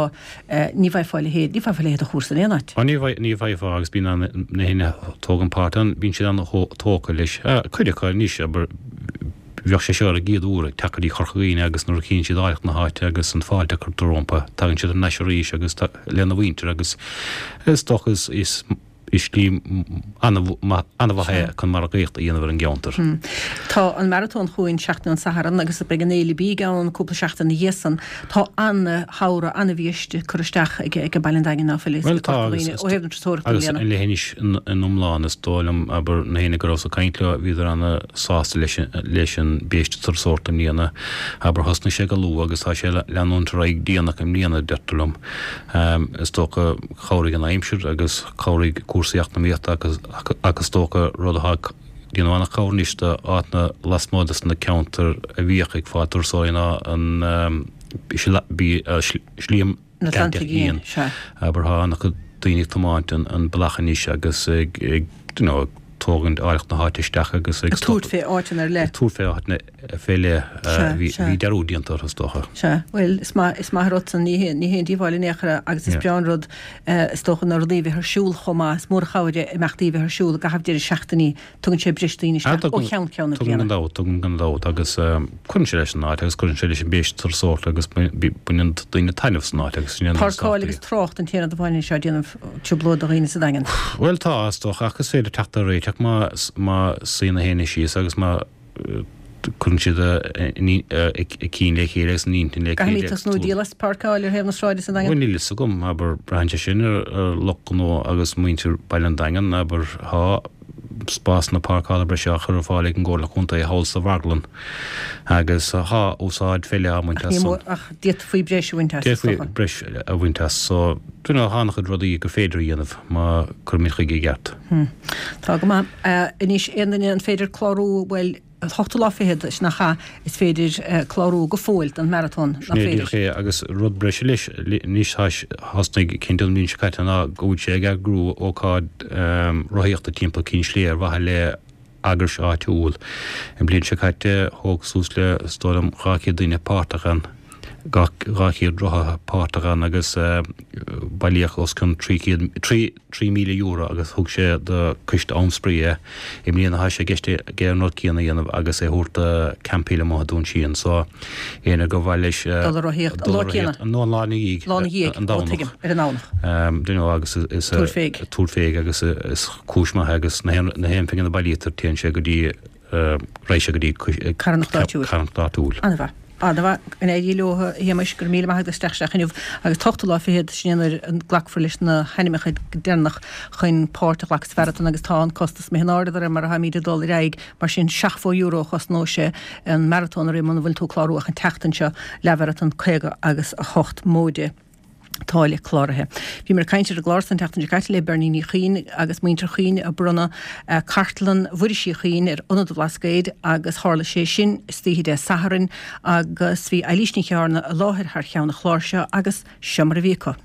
S1: ní bhfaighfeá a leithéid, ní bhfaighfeá a leithéid de chúrsa in aon áit.
S6: Ní bhfaighfeá agus bíonn na héinne a thógann páirt ann, bíonn siad an-tógtha leis. Cuid acu anois, abair, Bheadh sé seo ar a gcéad uair ag teacht go dtí Corca Dhuibhne agus nuair a chíonn siad áilleacht na háite agus an fáilte a cuirtear rompu, tagann siad thar n-ais arís agus lena mhuintir agus is dócha is slí an-mhaith é chun margaíocht a dhéanamh ar an gceantar.
S1: Tá an maratón chugainn seachtain ón Satharn agus beidh an Fhéile Bídh ann cúpla seachtain ina dhiaidh san. Tá an-shamhradh, an-bhiaiste curtha isteach ag Baile an Daingin ná fuil
S6: is ag Corca Dhuibhne ó
S1: thaobh na turasóireachta i
S6: mbliana. Agus an leithinis in iomlán is dóigh liom, abair, na héinne go rabhas ag caint leo, bhíodar ana-sásta leis leis an bpéiste turasóireachta i mbliana. Abair, thosnaigh sé go luath agus tá sé ag leanúint ar aghaidh déanach i mbliana, deirtear liom. Is dócha, chabhraigh an aimsir agus chabhraigh cúrsaí eacnamaíochta ach is dócha rud atá ag déanamh an-chabhair anois do áiteanna lasmuigh des na ceantair a bhíodh ag fáil turasóirí ná an Slí
S1: an Atlantaigh Fhiáin.
S6: Abair, tá an-chuid daoine ag tiomáint an bealach anois agus ag, you know, ag tógaint áilleacht na háite isteach
S1: agus ag. Ag tabhairt fé áiteanna ar leith.
S6: Ag tabhairt fé áiteanna fé leith a bhí dearúd déanta orthu is dócha.
S1: Sea, bhuel, is maith, is maith an rud san, ní hé, ní haon díobháil in aon chor é agus is breá an rud is dócha na rudaí a bheith ar siúl chomh maith, is mór an chabhair é imeachtaí a bheith ar siúl i gcaitheamh deireadh seachtainí Tugann sé breis daoine isteach ó cheann ceann na
S6: bliana. Tugann gan dabht, tugann gan dabht agus cuireann sé leis an áit agus cuireann sé leis an bpéiste turasóireachta agus baineann daoine taitneamh san áit agus sin
S1: an Páirceáil agus trácht an t-aon rud amháin anois atá ag déanamh trioblóid do dhaoine sa Daingean.
S6: Bhuel tá, is dócha, ach is féidir teacht ar réiteach má má suíonn na héinne síos agus má cuireann siad a gcinn le chéile agus a n-intinn le
S1: chéile. Caithfimid tosnú ag díol as páirceáil ar thaobh na sráide sa
S6: Daingean. Bhuel níl fhios agam, abair, braitheann sé sin ar lucht gnó agus muintir Baile an Daingin, abair, tá spásanna páirceála breise á chur ar fáil ag an gComhairle Contae thall sa mharglann agus tá úsáid fé leith á mbaint as
S1: san. Ach d'fhéadfaí breis a bhaint
S6: as, is dócha. D'fhéadfaí breis a bhaint as. So, you know, tá an-chuid rudaí gur féidir a dhéanamh má cuirimid chuige i gceart.
S1: Tá go maith. Anois, aon duine an féidir clárú, bhuel, an t-ochtú lá fichead, sin nach ea, is féidir clárú go fóill don maratón,
S6: nach féidir? Sin é agus rud breise leis anois, thosnaigh Ken Dunne an bhliain seo caite ná go bhfuil sé ag eagrú ócáid rothaíochta timpeall Cinn Sléibhe ar mhaithe le eagrais áitiúil. An bhliain seo caite thóg suas le, is dóigh liom, 200 duine páirt ann. 200 rothaithe páirteach ann agus bailíodh os cionn 300, €3,000 agus thug sé do Coiste Am Spraoi é. I mbliana tá sé i gceist aige an rud céanna a dhéanamh agus é a thabhairt do Camp Hill amuigh i Dún Síon. So, éinne gur mhaith leis
S1: Dul ag rothaíocht an lá céanna?
S6: No, an lá ina dhiaidh.
S1: Lá ina dhiaidh,
S6: an
S1: ó tuigim, ar an
S6: Domhnach. Do you know agus is
S1: Tabhair féig.
S6: Tabhair féig agus is cúis maith é agus na haon phingin a bailítear téann sé go dtí raghaidh sé go dtí
S1: Carthanacht áitiúil.
S6: Carthanacht áitiúil.
S1: An-mhaith. An-mhaith. Go n-éirí leo, a Shéamais, go raibh míle maith agat as teacht isteach inniu agus an t-ochtú lá fichead, sin é nuair a glacfar leis na hainmneacha deireanach chun páirt a ghlacadh sa mharatón agus tá an costas imithe in airde de réir mar atáimid ag dul ar aghaidh, mar sin €70 a chosnóidh sé an maratón a rith muna bhfuil tú ag clárú ach an tseachtain seo, leathmharatón 50 agus 8 móide. táille cláraithe. Bhíomar ag caint ar an gclár san tseachtain seo caite le Bernie Ní Chuinn agus muintir Chuinn ag bronnadh cartlann Mhuiris Uí Chuinn ar Ionad an Bhlascaoid agus tharla sé sin istoíche Dé Sathairn agus bhí Eilís Ní Chearna i láthair thar cheann an chláir seo agus seo mar a bhí acu.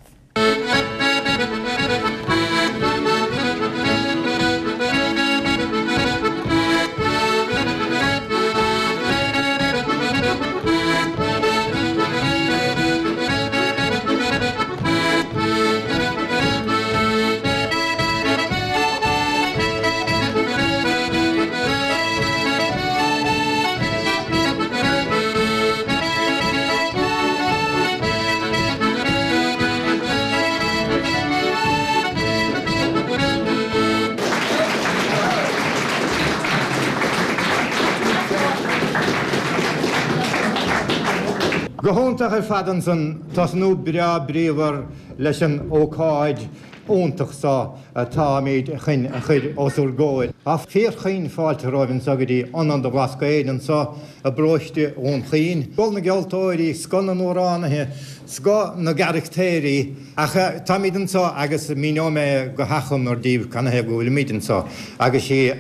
S7: Go hiontach ar fad ansan, tosnú breá bríomhar leis an ócáid iontach so atáimid chun a chur os bhur gcomhair. Tá fíorchaoin fáilte romhaibh anso go dtí Ionad an Bhlascaoid anso i bparóiste Dhún Chaoin. Scoth na gceoltóirí, scoth na n-amhránaithe, scoth na gcarachtéirí. Ach táimid anso agus míneoidh mé go hachomair daoibh canathaobh go bhfuilimid anso. Agus sí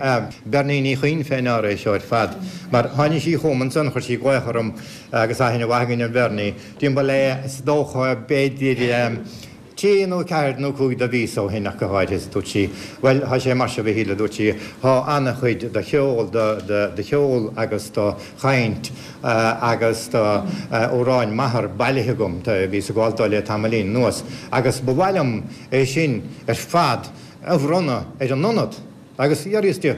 S7: Bernie Ní Chuinn fé ndeara é seo ar fad. Mar tháinig sí chugam ansan, chuir sí glaoch orm agus aithne mhaith againn ar Bhernie, timpeall le is dócha b'fhéidir trí nó ceathair nó cúig de mhíosa ó shin ach go háirithe is dúirt sí, bhuel tá sé mar seo a Mhichíl a dúirt sí, tá ana-chuid de cheol, de cheol agus de chaint agus d'amhráin m'athar bailithe agam, bhíos ag gabháil dó le tamaillín anuas, agus ba mhaith liom é sin ar fad a bhronnadh ar an Ionad. Agus d'fhiafraíos di,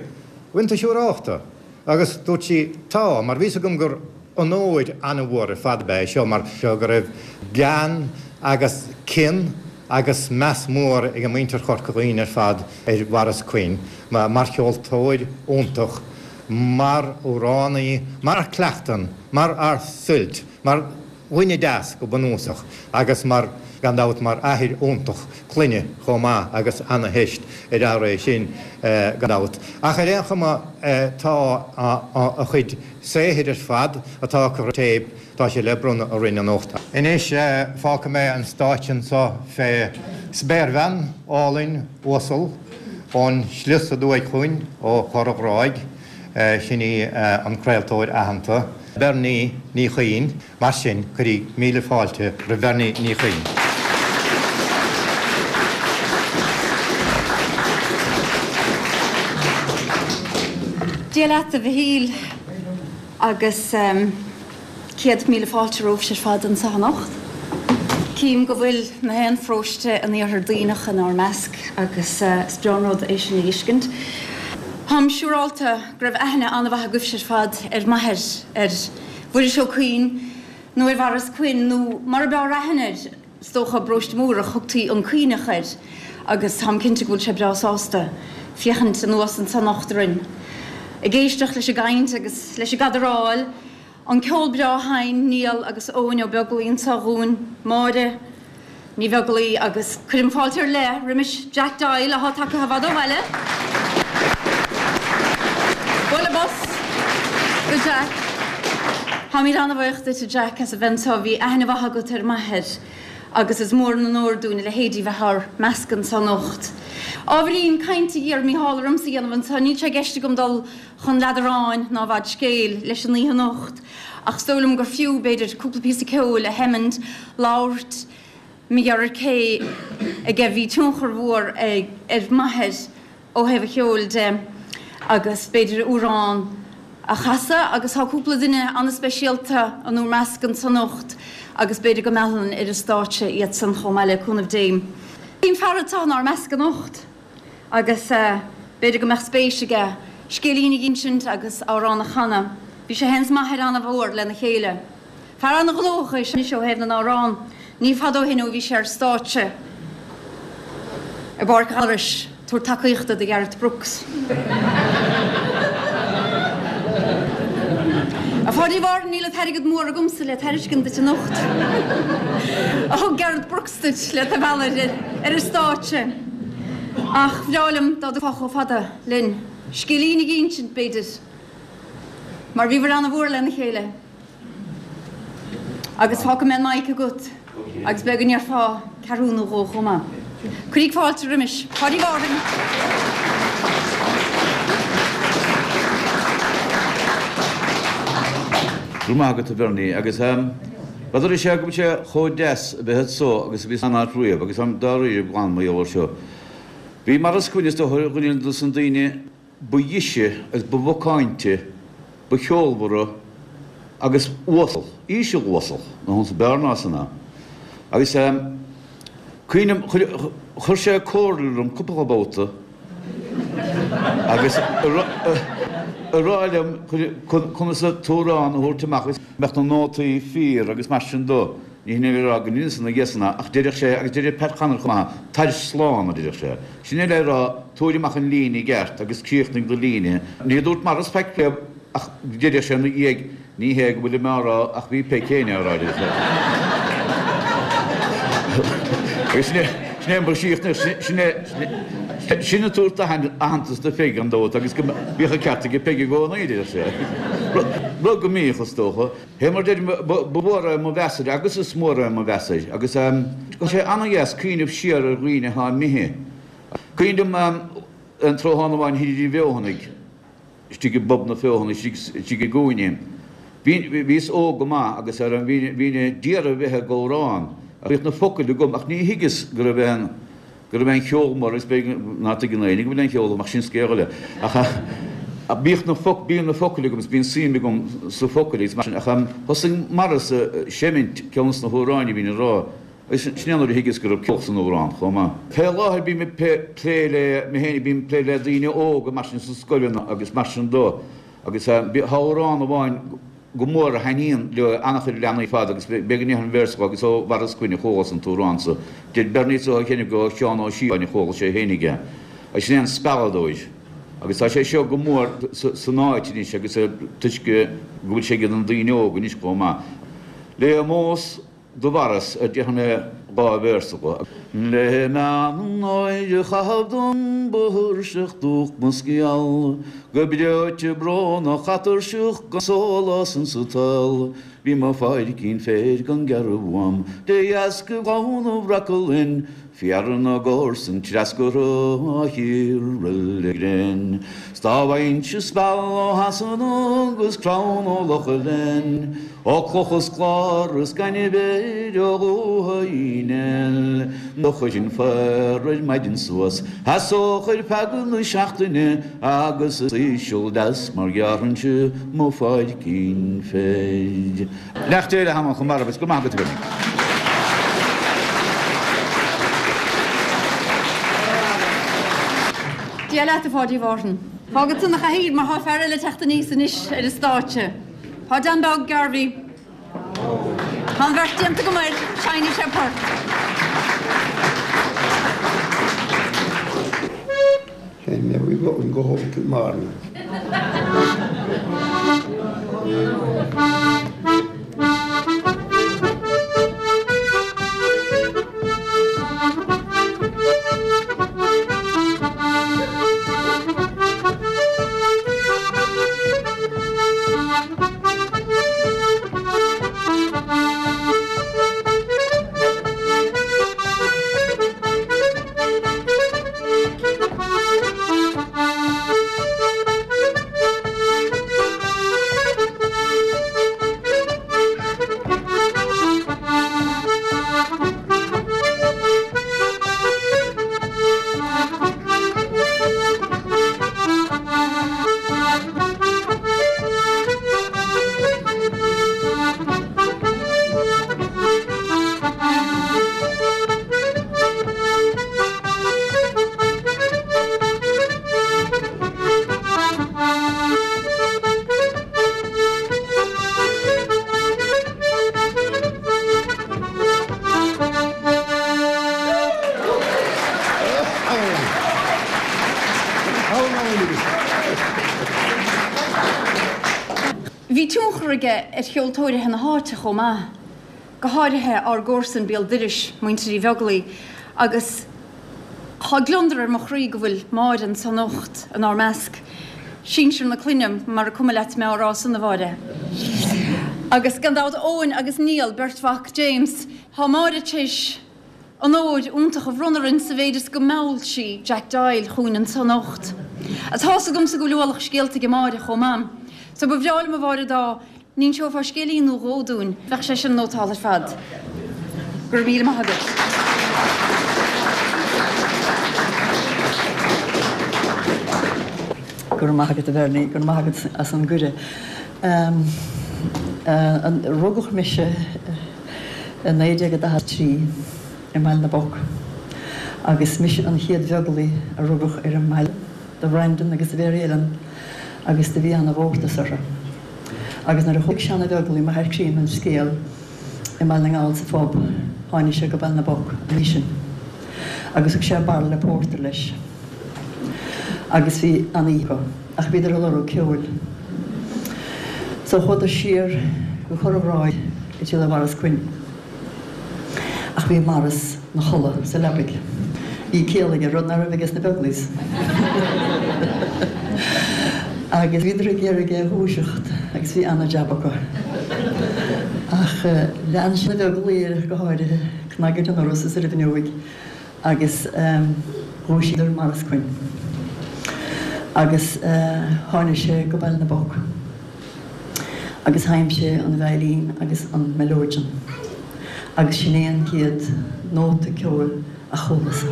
S7: bhfuil tú siúrálta? Agus dúirt sí, tá, mar bhí 'fhios agam gur onóir an-mhór ar fad ab ea é seo, mar go raibh gean agus cion agus meas mór ag muintir Chorca Dhuibhne ar fad ar Mhaurice Quinn mar cheoltóir iontach, mar amhránaí, mar fhear cleachtan, mar fhear suilt, mar dhuine deas go bunúsach agus mar, gan dabht, mar athair iontach clainne chomh maith agus ana-theist ar fhear é sin gan dabht. Ach ar aon chuma tá a chuid saothair ar fad atá acu ar téip, tá sé le bronnadh orainn anocht. Anois fágfaidh mé an stáitse anseo fé spéirbhean álainn uasal ón slios aduaidh chugainn ó Chorr an Ghráig, sin í an craoltóir aitheanta, Bernie Ní Chuinn. Mar sin, cuiríg míle fáilte roimh Bhernie Ní Chuinn.
S8: Dia leat a Mhichíl agus 100,000 fáilte romhaibhse ar fad anseo anocht. Cím go bhfuil na haon pharóiste in Iarthar Duibhneach inár measc agus is breá an rud é sin a fheiscint. Táim siúrálta go raibh aithne an-mhaith agaibhse ar fad ar m'athair, ar Mhuiris Ó Cuinn nó ar Mhaurice Quinn nó mar a b'fhearr aithne air, is dócha, i bparóiste Múrach, thugtaí an Cuinneach air agus táim cinnte go bhfuil sé breá sásta féachaint anuas anso anocht orainn ag éisteacht leis an gcaint agus leis an gcadaráil, an ceol breá a sheinn Niall agus Eoin Ó Beaglaoi anso dhúinn, Máire. Ní Bheaglaoi agus cuirim fáilte ar leith roimis Jack Doyle athá tagtha i bhfad ó bhaile. Bualadh bos do Jack. Táimid an-bhuíoch duit a Jack as a bheith anseo. Bhí aithne mhaith agat ar m'athair agus is mór an onóir dúinn a leithéidí bheith ár measc anseo anocht. Ábhairín cainte a d'iarr Mícheál ormsa a dhéanamh anseo. Níl sé i gceist agam dul chun leadráin ná i bhfad scéil leis an oíche anocht ach is dóigh liom gur fiú, b'fhéidir, cúpla píosa ceoil a sheimint, labhairt mar gheall ar cé aige bhí tionchar mhór ar m'athair ó thaobh an cheoil de agus b'fhéidir amhrán a chasadh agus tá cúpla duine an-speisialta inár measc anso anocht. agus b'fhéidir go meallfainn ar an stáitse iadsan chomh maith le cúnamh Dé. Bíonn fear anseo inár measc anocht agus b'fhéidir go mbeadh spéis aige scéilín a dh'insint agus amhrán a chanadh. Bhí sé féin is m'athair ana-mhór lena chéile. Fear ana-ghnóthach é anois ó thaobh na n-amhrán. Ní fada ó shin ó bhí sé ar stáitse i bPáirc Ghallarais ag tabhairt tacaíochta do Ghareth Brooks. A Pháidí Mhárthain, níl an t-airgead mór agamsa le tairiscint duit anocht a thug Gareth Brooks duit le tú a mhealladh ar an stáitse. Ach bhreá liom dá dtiocfá chomh fada linn. Scéilín a dh'insint, b'fhéidir, mar bhíobhair ana-mhór lena chéile. Agus fágfaidh mé an mic agat agus b'fhéidir go ndéarfá ceathrú nó dhó chomh maith. Cuiríg fáilte roimis, Páidí Mhárthain.
S9: Go raibh maith agat a Bhernie agus n'fheadar is ea go bhfuil sé chomh deas a bheith anso agus a bhíos aon áit riamh agus táim dáiríre glan mar gheall air seo. Bhí Maurice Quinn is dócha ar dhuine dos na daoine ba dheise agus ba mhacáinte, ba cheolmhara agus uasal, íseal uasal, na hunsa b'fhearr ná san am. Agus cuimhním, chuir sé comhairle orm cúpla babhta agus a rá liom conas an t-amhrán a thabhairt amach agus mbeadh na nótaí fíor agus mar sin do. Ní hin é le rá go ndeineas na gléasanna ach deireadh sé, agus deireadh Pat Connor chomh maith, tar slán, a deireadh sé. Sin é le rá, tabhair amach an líne i gceart agus críochnaigh do líne. Ní dúirt Maurice faic riamh ach deireadh sé ina dhiaidh, ní hé go bhfuilim á rá ach bhí Peig féin á rá, a deireadh sé. Agus sin é, sin é an chríochnaigh, sin é, sin ag tabhairt aitheantas do Pheig gan dabht agus go mbíodh an ceart ag Peig i gcónaí, a deireadh sé. Rud go mbíodh, is dócha. Fé mar deirim, ba mhór é mo mheas air agus is mór é mo mheas air agus tá sé ana-dheas cuimhneamh siar ar dhaoine atá imithe. Cuimhin liom aon tráthnóna amháin thiar i bhFeothanaigh, istigh i bPub na Feothanaí istigh i gcúinne. Bhíos óg go maith agus bhínn ag iarraidh a bheith ag amhrán. Bhíodh na focail agam ach ní thuigeas go raibh aon go raibh aon cheol mór agus b'fhéidir ná tuigeann éinne go bhfuil aon cheol ach sin scéal eile. Ach bíodh na foc, bíonn na focail agam is bíonn suim agam sa focail agus mar sin ach thosaigh Maurice a seimint ceann dos na hamhráin a bhínn a rá agus sin é nuair a thuigeas go raibh ceol san amhrán chomh maith. Fé láthair bím ag plé le, mé féin, bím ag plé le daoine óga mar sin sna scoileanna agus mar sin do agus tá amhrán amháin go mór a thaitníonn le an-chuid leanaí ar fad agus b'fhéidir go ndéarfainn véarsa dhó agus ó Mhaurice Quinn a chualas an t-amhrán so. Deir Bernie is dócha cheana gur ó Sheán Ó Síocháin a chuala sé fhéinig é. Agus sin é an Spealadóir. Agus tá sé seo go mór san áit anois agus toisc go bhfuil sé ag na daoine óga anois chomh maith. Le ómós do Mhaurice a déarfaidh mé dá véarsa dho. Le meán an áir a chaitheamh dom ba thuirseach dúch mo sciall, Go breoite brónach atuirseach gan sólás insa tsaol, Bhí mo pháircín féir gan gearradh uaim de dheasca ghleann Bhreac-a-Linn, Fear na gcomharsan treascartha á chíoradh le grein. 'S dá bhfaighinnse speal ó Shasana 'gus crann ó Loch Alein, Ó cloch is clár is gaineamh air ó Dhúiche Uí Néill, Do chuirfinn féar ar maidin suas, sheasódh ar feadh na seachtaine agus is íseal deas mar ghearrfainnse mo pháircín féir. Beannacht Dé le hanam chomh marbh is go maith agat a Bhernie.
S8: Dia leat a Pháidí Mhárthain. Fágfad san a chathaoir mar tá fear eile ag teacht aníos anois ar an stáitse. Tá Dan Beag Garvey. Tá an bheart déanta agam air, seinnfidh sé port.
S10: Sheinn mé an go Cill Mhárna.
S8: Bhí tionchar aige ar cheoltóirithe na háite chomh maith, go háirithe ár gcomharsain béal dorais, muintir Uí Bheaglaoi, agus tá gliondar ar mo chroí go bhfuil Máire anso anocht inár measc, sinsir na clainne, mara cuma leat mé á rá san, a Mháire. Agus gan dabht Eoin agus Niall, beirt mhac James, tá Máire tar éis onóir iontach a bhronnadh orainn sa mhéid is go mheall sí Jack Doyle chugainn anso anocht. Tá's agamsa go bhfuil ualach scéalta ag Máire chomh maith. So ba bhreá liom a Mháire dá n-inseofá scéilín nó dhó dúinn, bheadh sé sin nótálta ar fad. Go raibh míle maith agat.
S11: Go raibh maith agat a Bhernie, go raibh maith agat as an gcuireadh. Rugadh mise i 1943 i mBaile na bPoc agus mise an chéad Bheaglaoi a rugadh ar an mbaile do Bhrendan agus do Mhary Ellen agus do bhí ana-mhórtas orthu. Agus nuair a chuala Seán Ó Beaglaoi, m'athair críonna, an scéal i mBaile na nGall sa phub, tháinig sé go Baile na bPoc an oíche sin agus thug sé bairille pórtair leis agus bhí an-oíche acu ach bhíodar ag lorg ceoil. So chuadar siar go Corr an Ghráig ag triall ar Mhaurice Quinn. Ach bhí Maurice 'na chodladh sa leabaidh. Bhí ciall aige, rud ná raibh aige sna Beaglaois. Agus bhíodar ag iarraidh é a dhúiseacht agus bhí ana-jab acu. Ach lean na Beaglaoich air go háirithe, cnag ar an ndoras is ar an bhfuinneoig agus dhúisíodar Maurice Quinn. Agus tháinig sé go Baile na bPoc. Agus sheinn sé an veidhlín agus an meileoidean agus sin é an chéad nóta ceoil a chualas.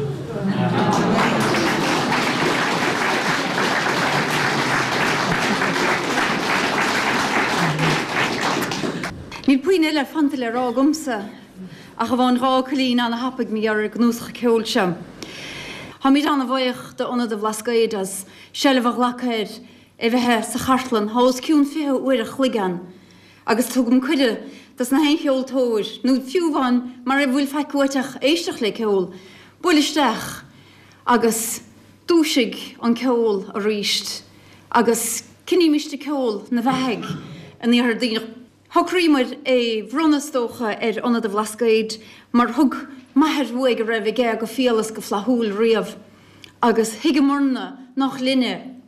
S8: Níl puinn eile fanta le rá agamsa ach amháin dhá fhocailín ana-thapaidh mar gheall ar an gcnuasach ceoil seo. Táimid ana-bhuíoch d'Ionad an Bhlascaoid as seilbh a ghlacadh air é bheith sa chartlann. Tá os cionn 20 uair a chloig ann agus tugaim cuireadh dos na haon cheoltóir, nó fiú amháin mara bhfuil faic uait ach éisteacht le ceol, buail isteach agus dúisigh an ceol aríst agus coinnímist ag ceol na bheathaigh in Iarthar Duibhneach. Shocraíomar é bhronnadh is dócha ar Ionad an Bhlascaoid mar thug m'athair uaidh a raibh aige go fial is go flaithiúil riamh agus thuigeamarna nach linne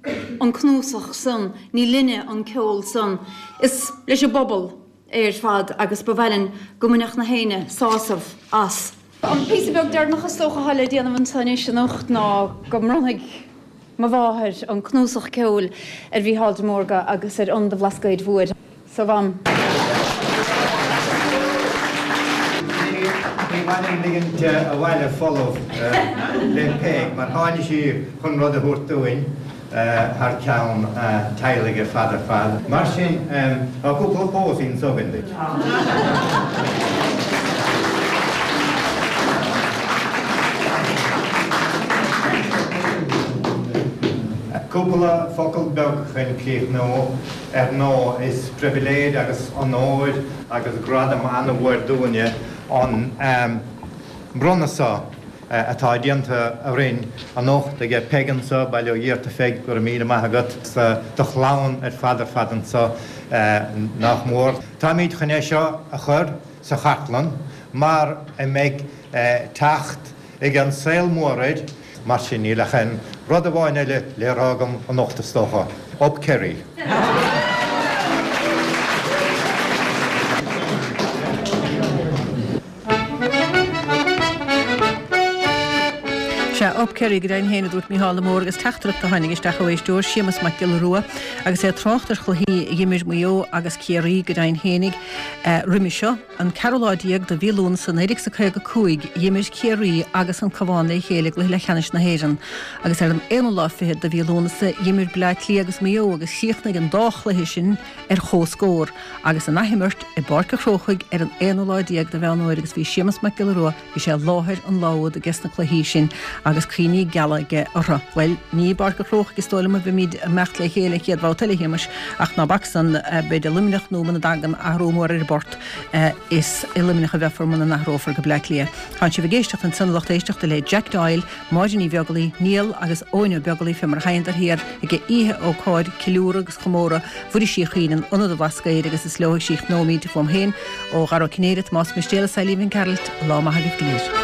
S8: an cnuasach san, ní linne an ceol san, is leis an bpobal é ar fad agus ba mhaith linn go mbainfeadh na héinne sásamh as. An píosa beag deireanach is dócha atá le déanamh anso anois anocht ná go mbronnfaidh mo mháthair an cnuasach ceoil ar Mhícheál de Mórdha agus ar Ionad an Bhlascaoid Mhóir. So Mham.
S7: Ní maith linn ligint abhaile folamh le Peig mar tháinig sí chun rud a thabhairt dúinn thar ceann a teaghlaigh ar fad ar fad. Mar sin, tá cúpla pósaí anso againn duit. Cúpla focal beag chun críochnú. Ar ndóigh, is pribhléid agus onóir agus gradam an-mhór dúinne an bronnadh seo atá déanta orainn anocht aige Peig anso, Bail ó Dhia ort a Pheig, go raibh míle maith agat, 's do chlann ar fad ar fad anso nach mór. Táimíd chun é seo a chur sa chartlann mar a mbeidh teacht ag an saol mór air. Mar sin, níl ach aon rud amháin eile le rá agam anocht is dócha. Up Kerry!
S1: Sea, Up Kerry go deimhin féin, a dúirt Mícheál de Mórdha agus teachtaireacht a tháinig isteach ó éisteoir, Séamus Mac Giolla Rua, agus é ag trácht ar chluichí a dh'imir Maigh Eo agus Ciarraí go deimhin féinig roimhe seo. An ceathrú lá déag de mhí Lúnasa 1955 dh'imir Ciarraí agus an Cabhán le chéile i gcluiche leathcheannais na hÉireann agus ar an aonú lá fichead de mhí Lúnasa dh'imir Bleá Cliath agus Maigh Eo agus chríochnaigh an dá chluiche sin ar chomhscór agus an athimirt i bPáirc a' Chrócaigh ar an aonú lá déag de Mheán Fhómhair agus bhí Séamus Mac Giolla Rua bhí sé i láthair an lá úd ages na cluichí sin agus cuimhní. picíní geala aige orthu. Bhuel, ní i bPáirc an Chrócaigh is dóigh liom a bheimid ag imeacht le chéile an chéad bhabhta eile, a Shéamais, ach ná bac san, b'fhéidir Luimneach nó muna dtagann athrú mór ar an bport, is i Luimneach a bheifear muna n-athrófar go Bleá Cliath. Tánn sibh ag éisteacht ansan, a lucht éisteachta, le Jack Doyle, Máire Ní Bheaglaoi, Niall agus Eoin Ó Beaglaoi fé mar a sheinneadar thiar ag oíche ócáid ceiliúradh agus chomóradh Mhuiris Uí Chuinn in Ionad an Bhlascaoid agus is leo a chríochnóimid uaim féin ó Dhara Ó Cinnéide, Tomás Mistéal is Eilín Mhic Gearailt, lá maith agaibh go léir.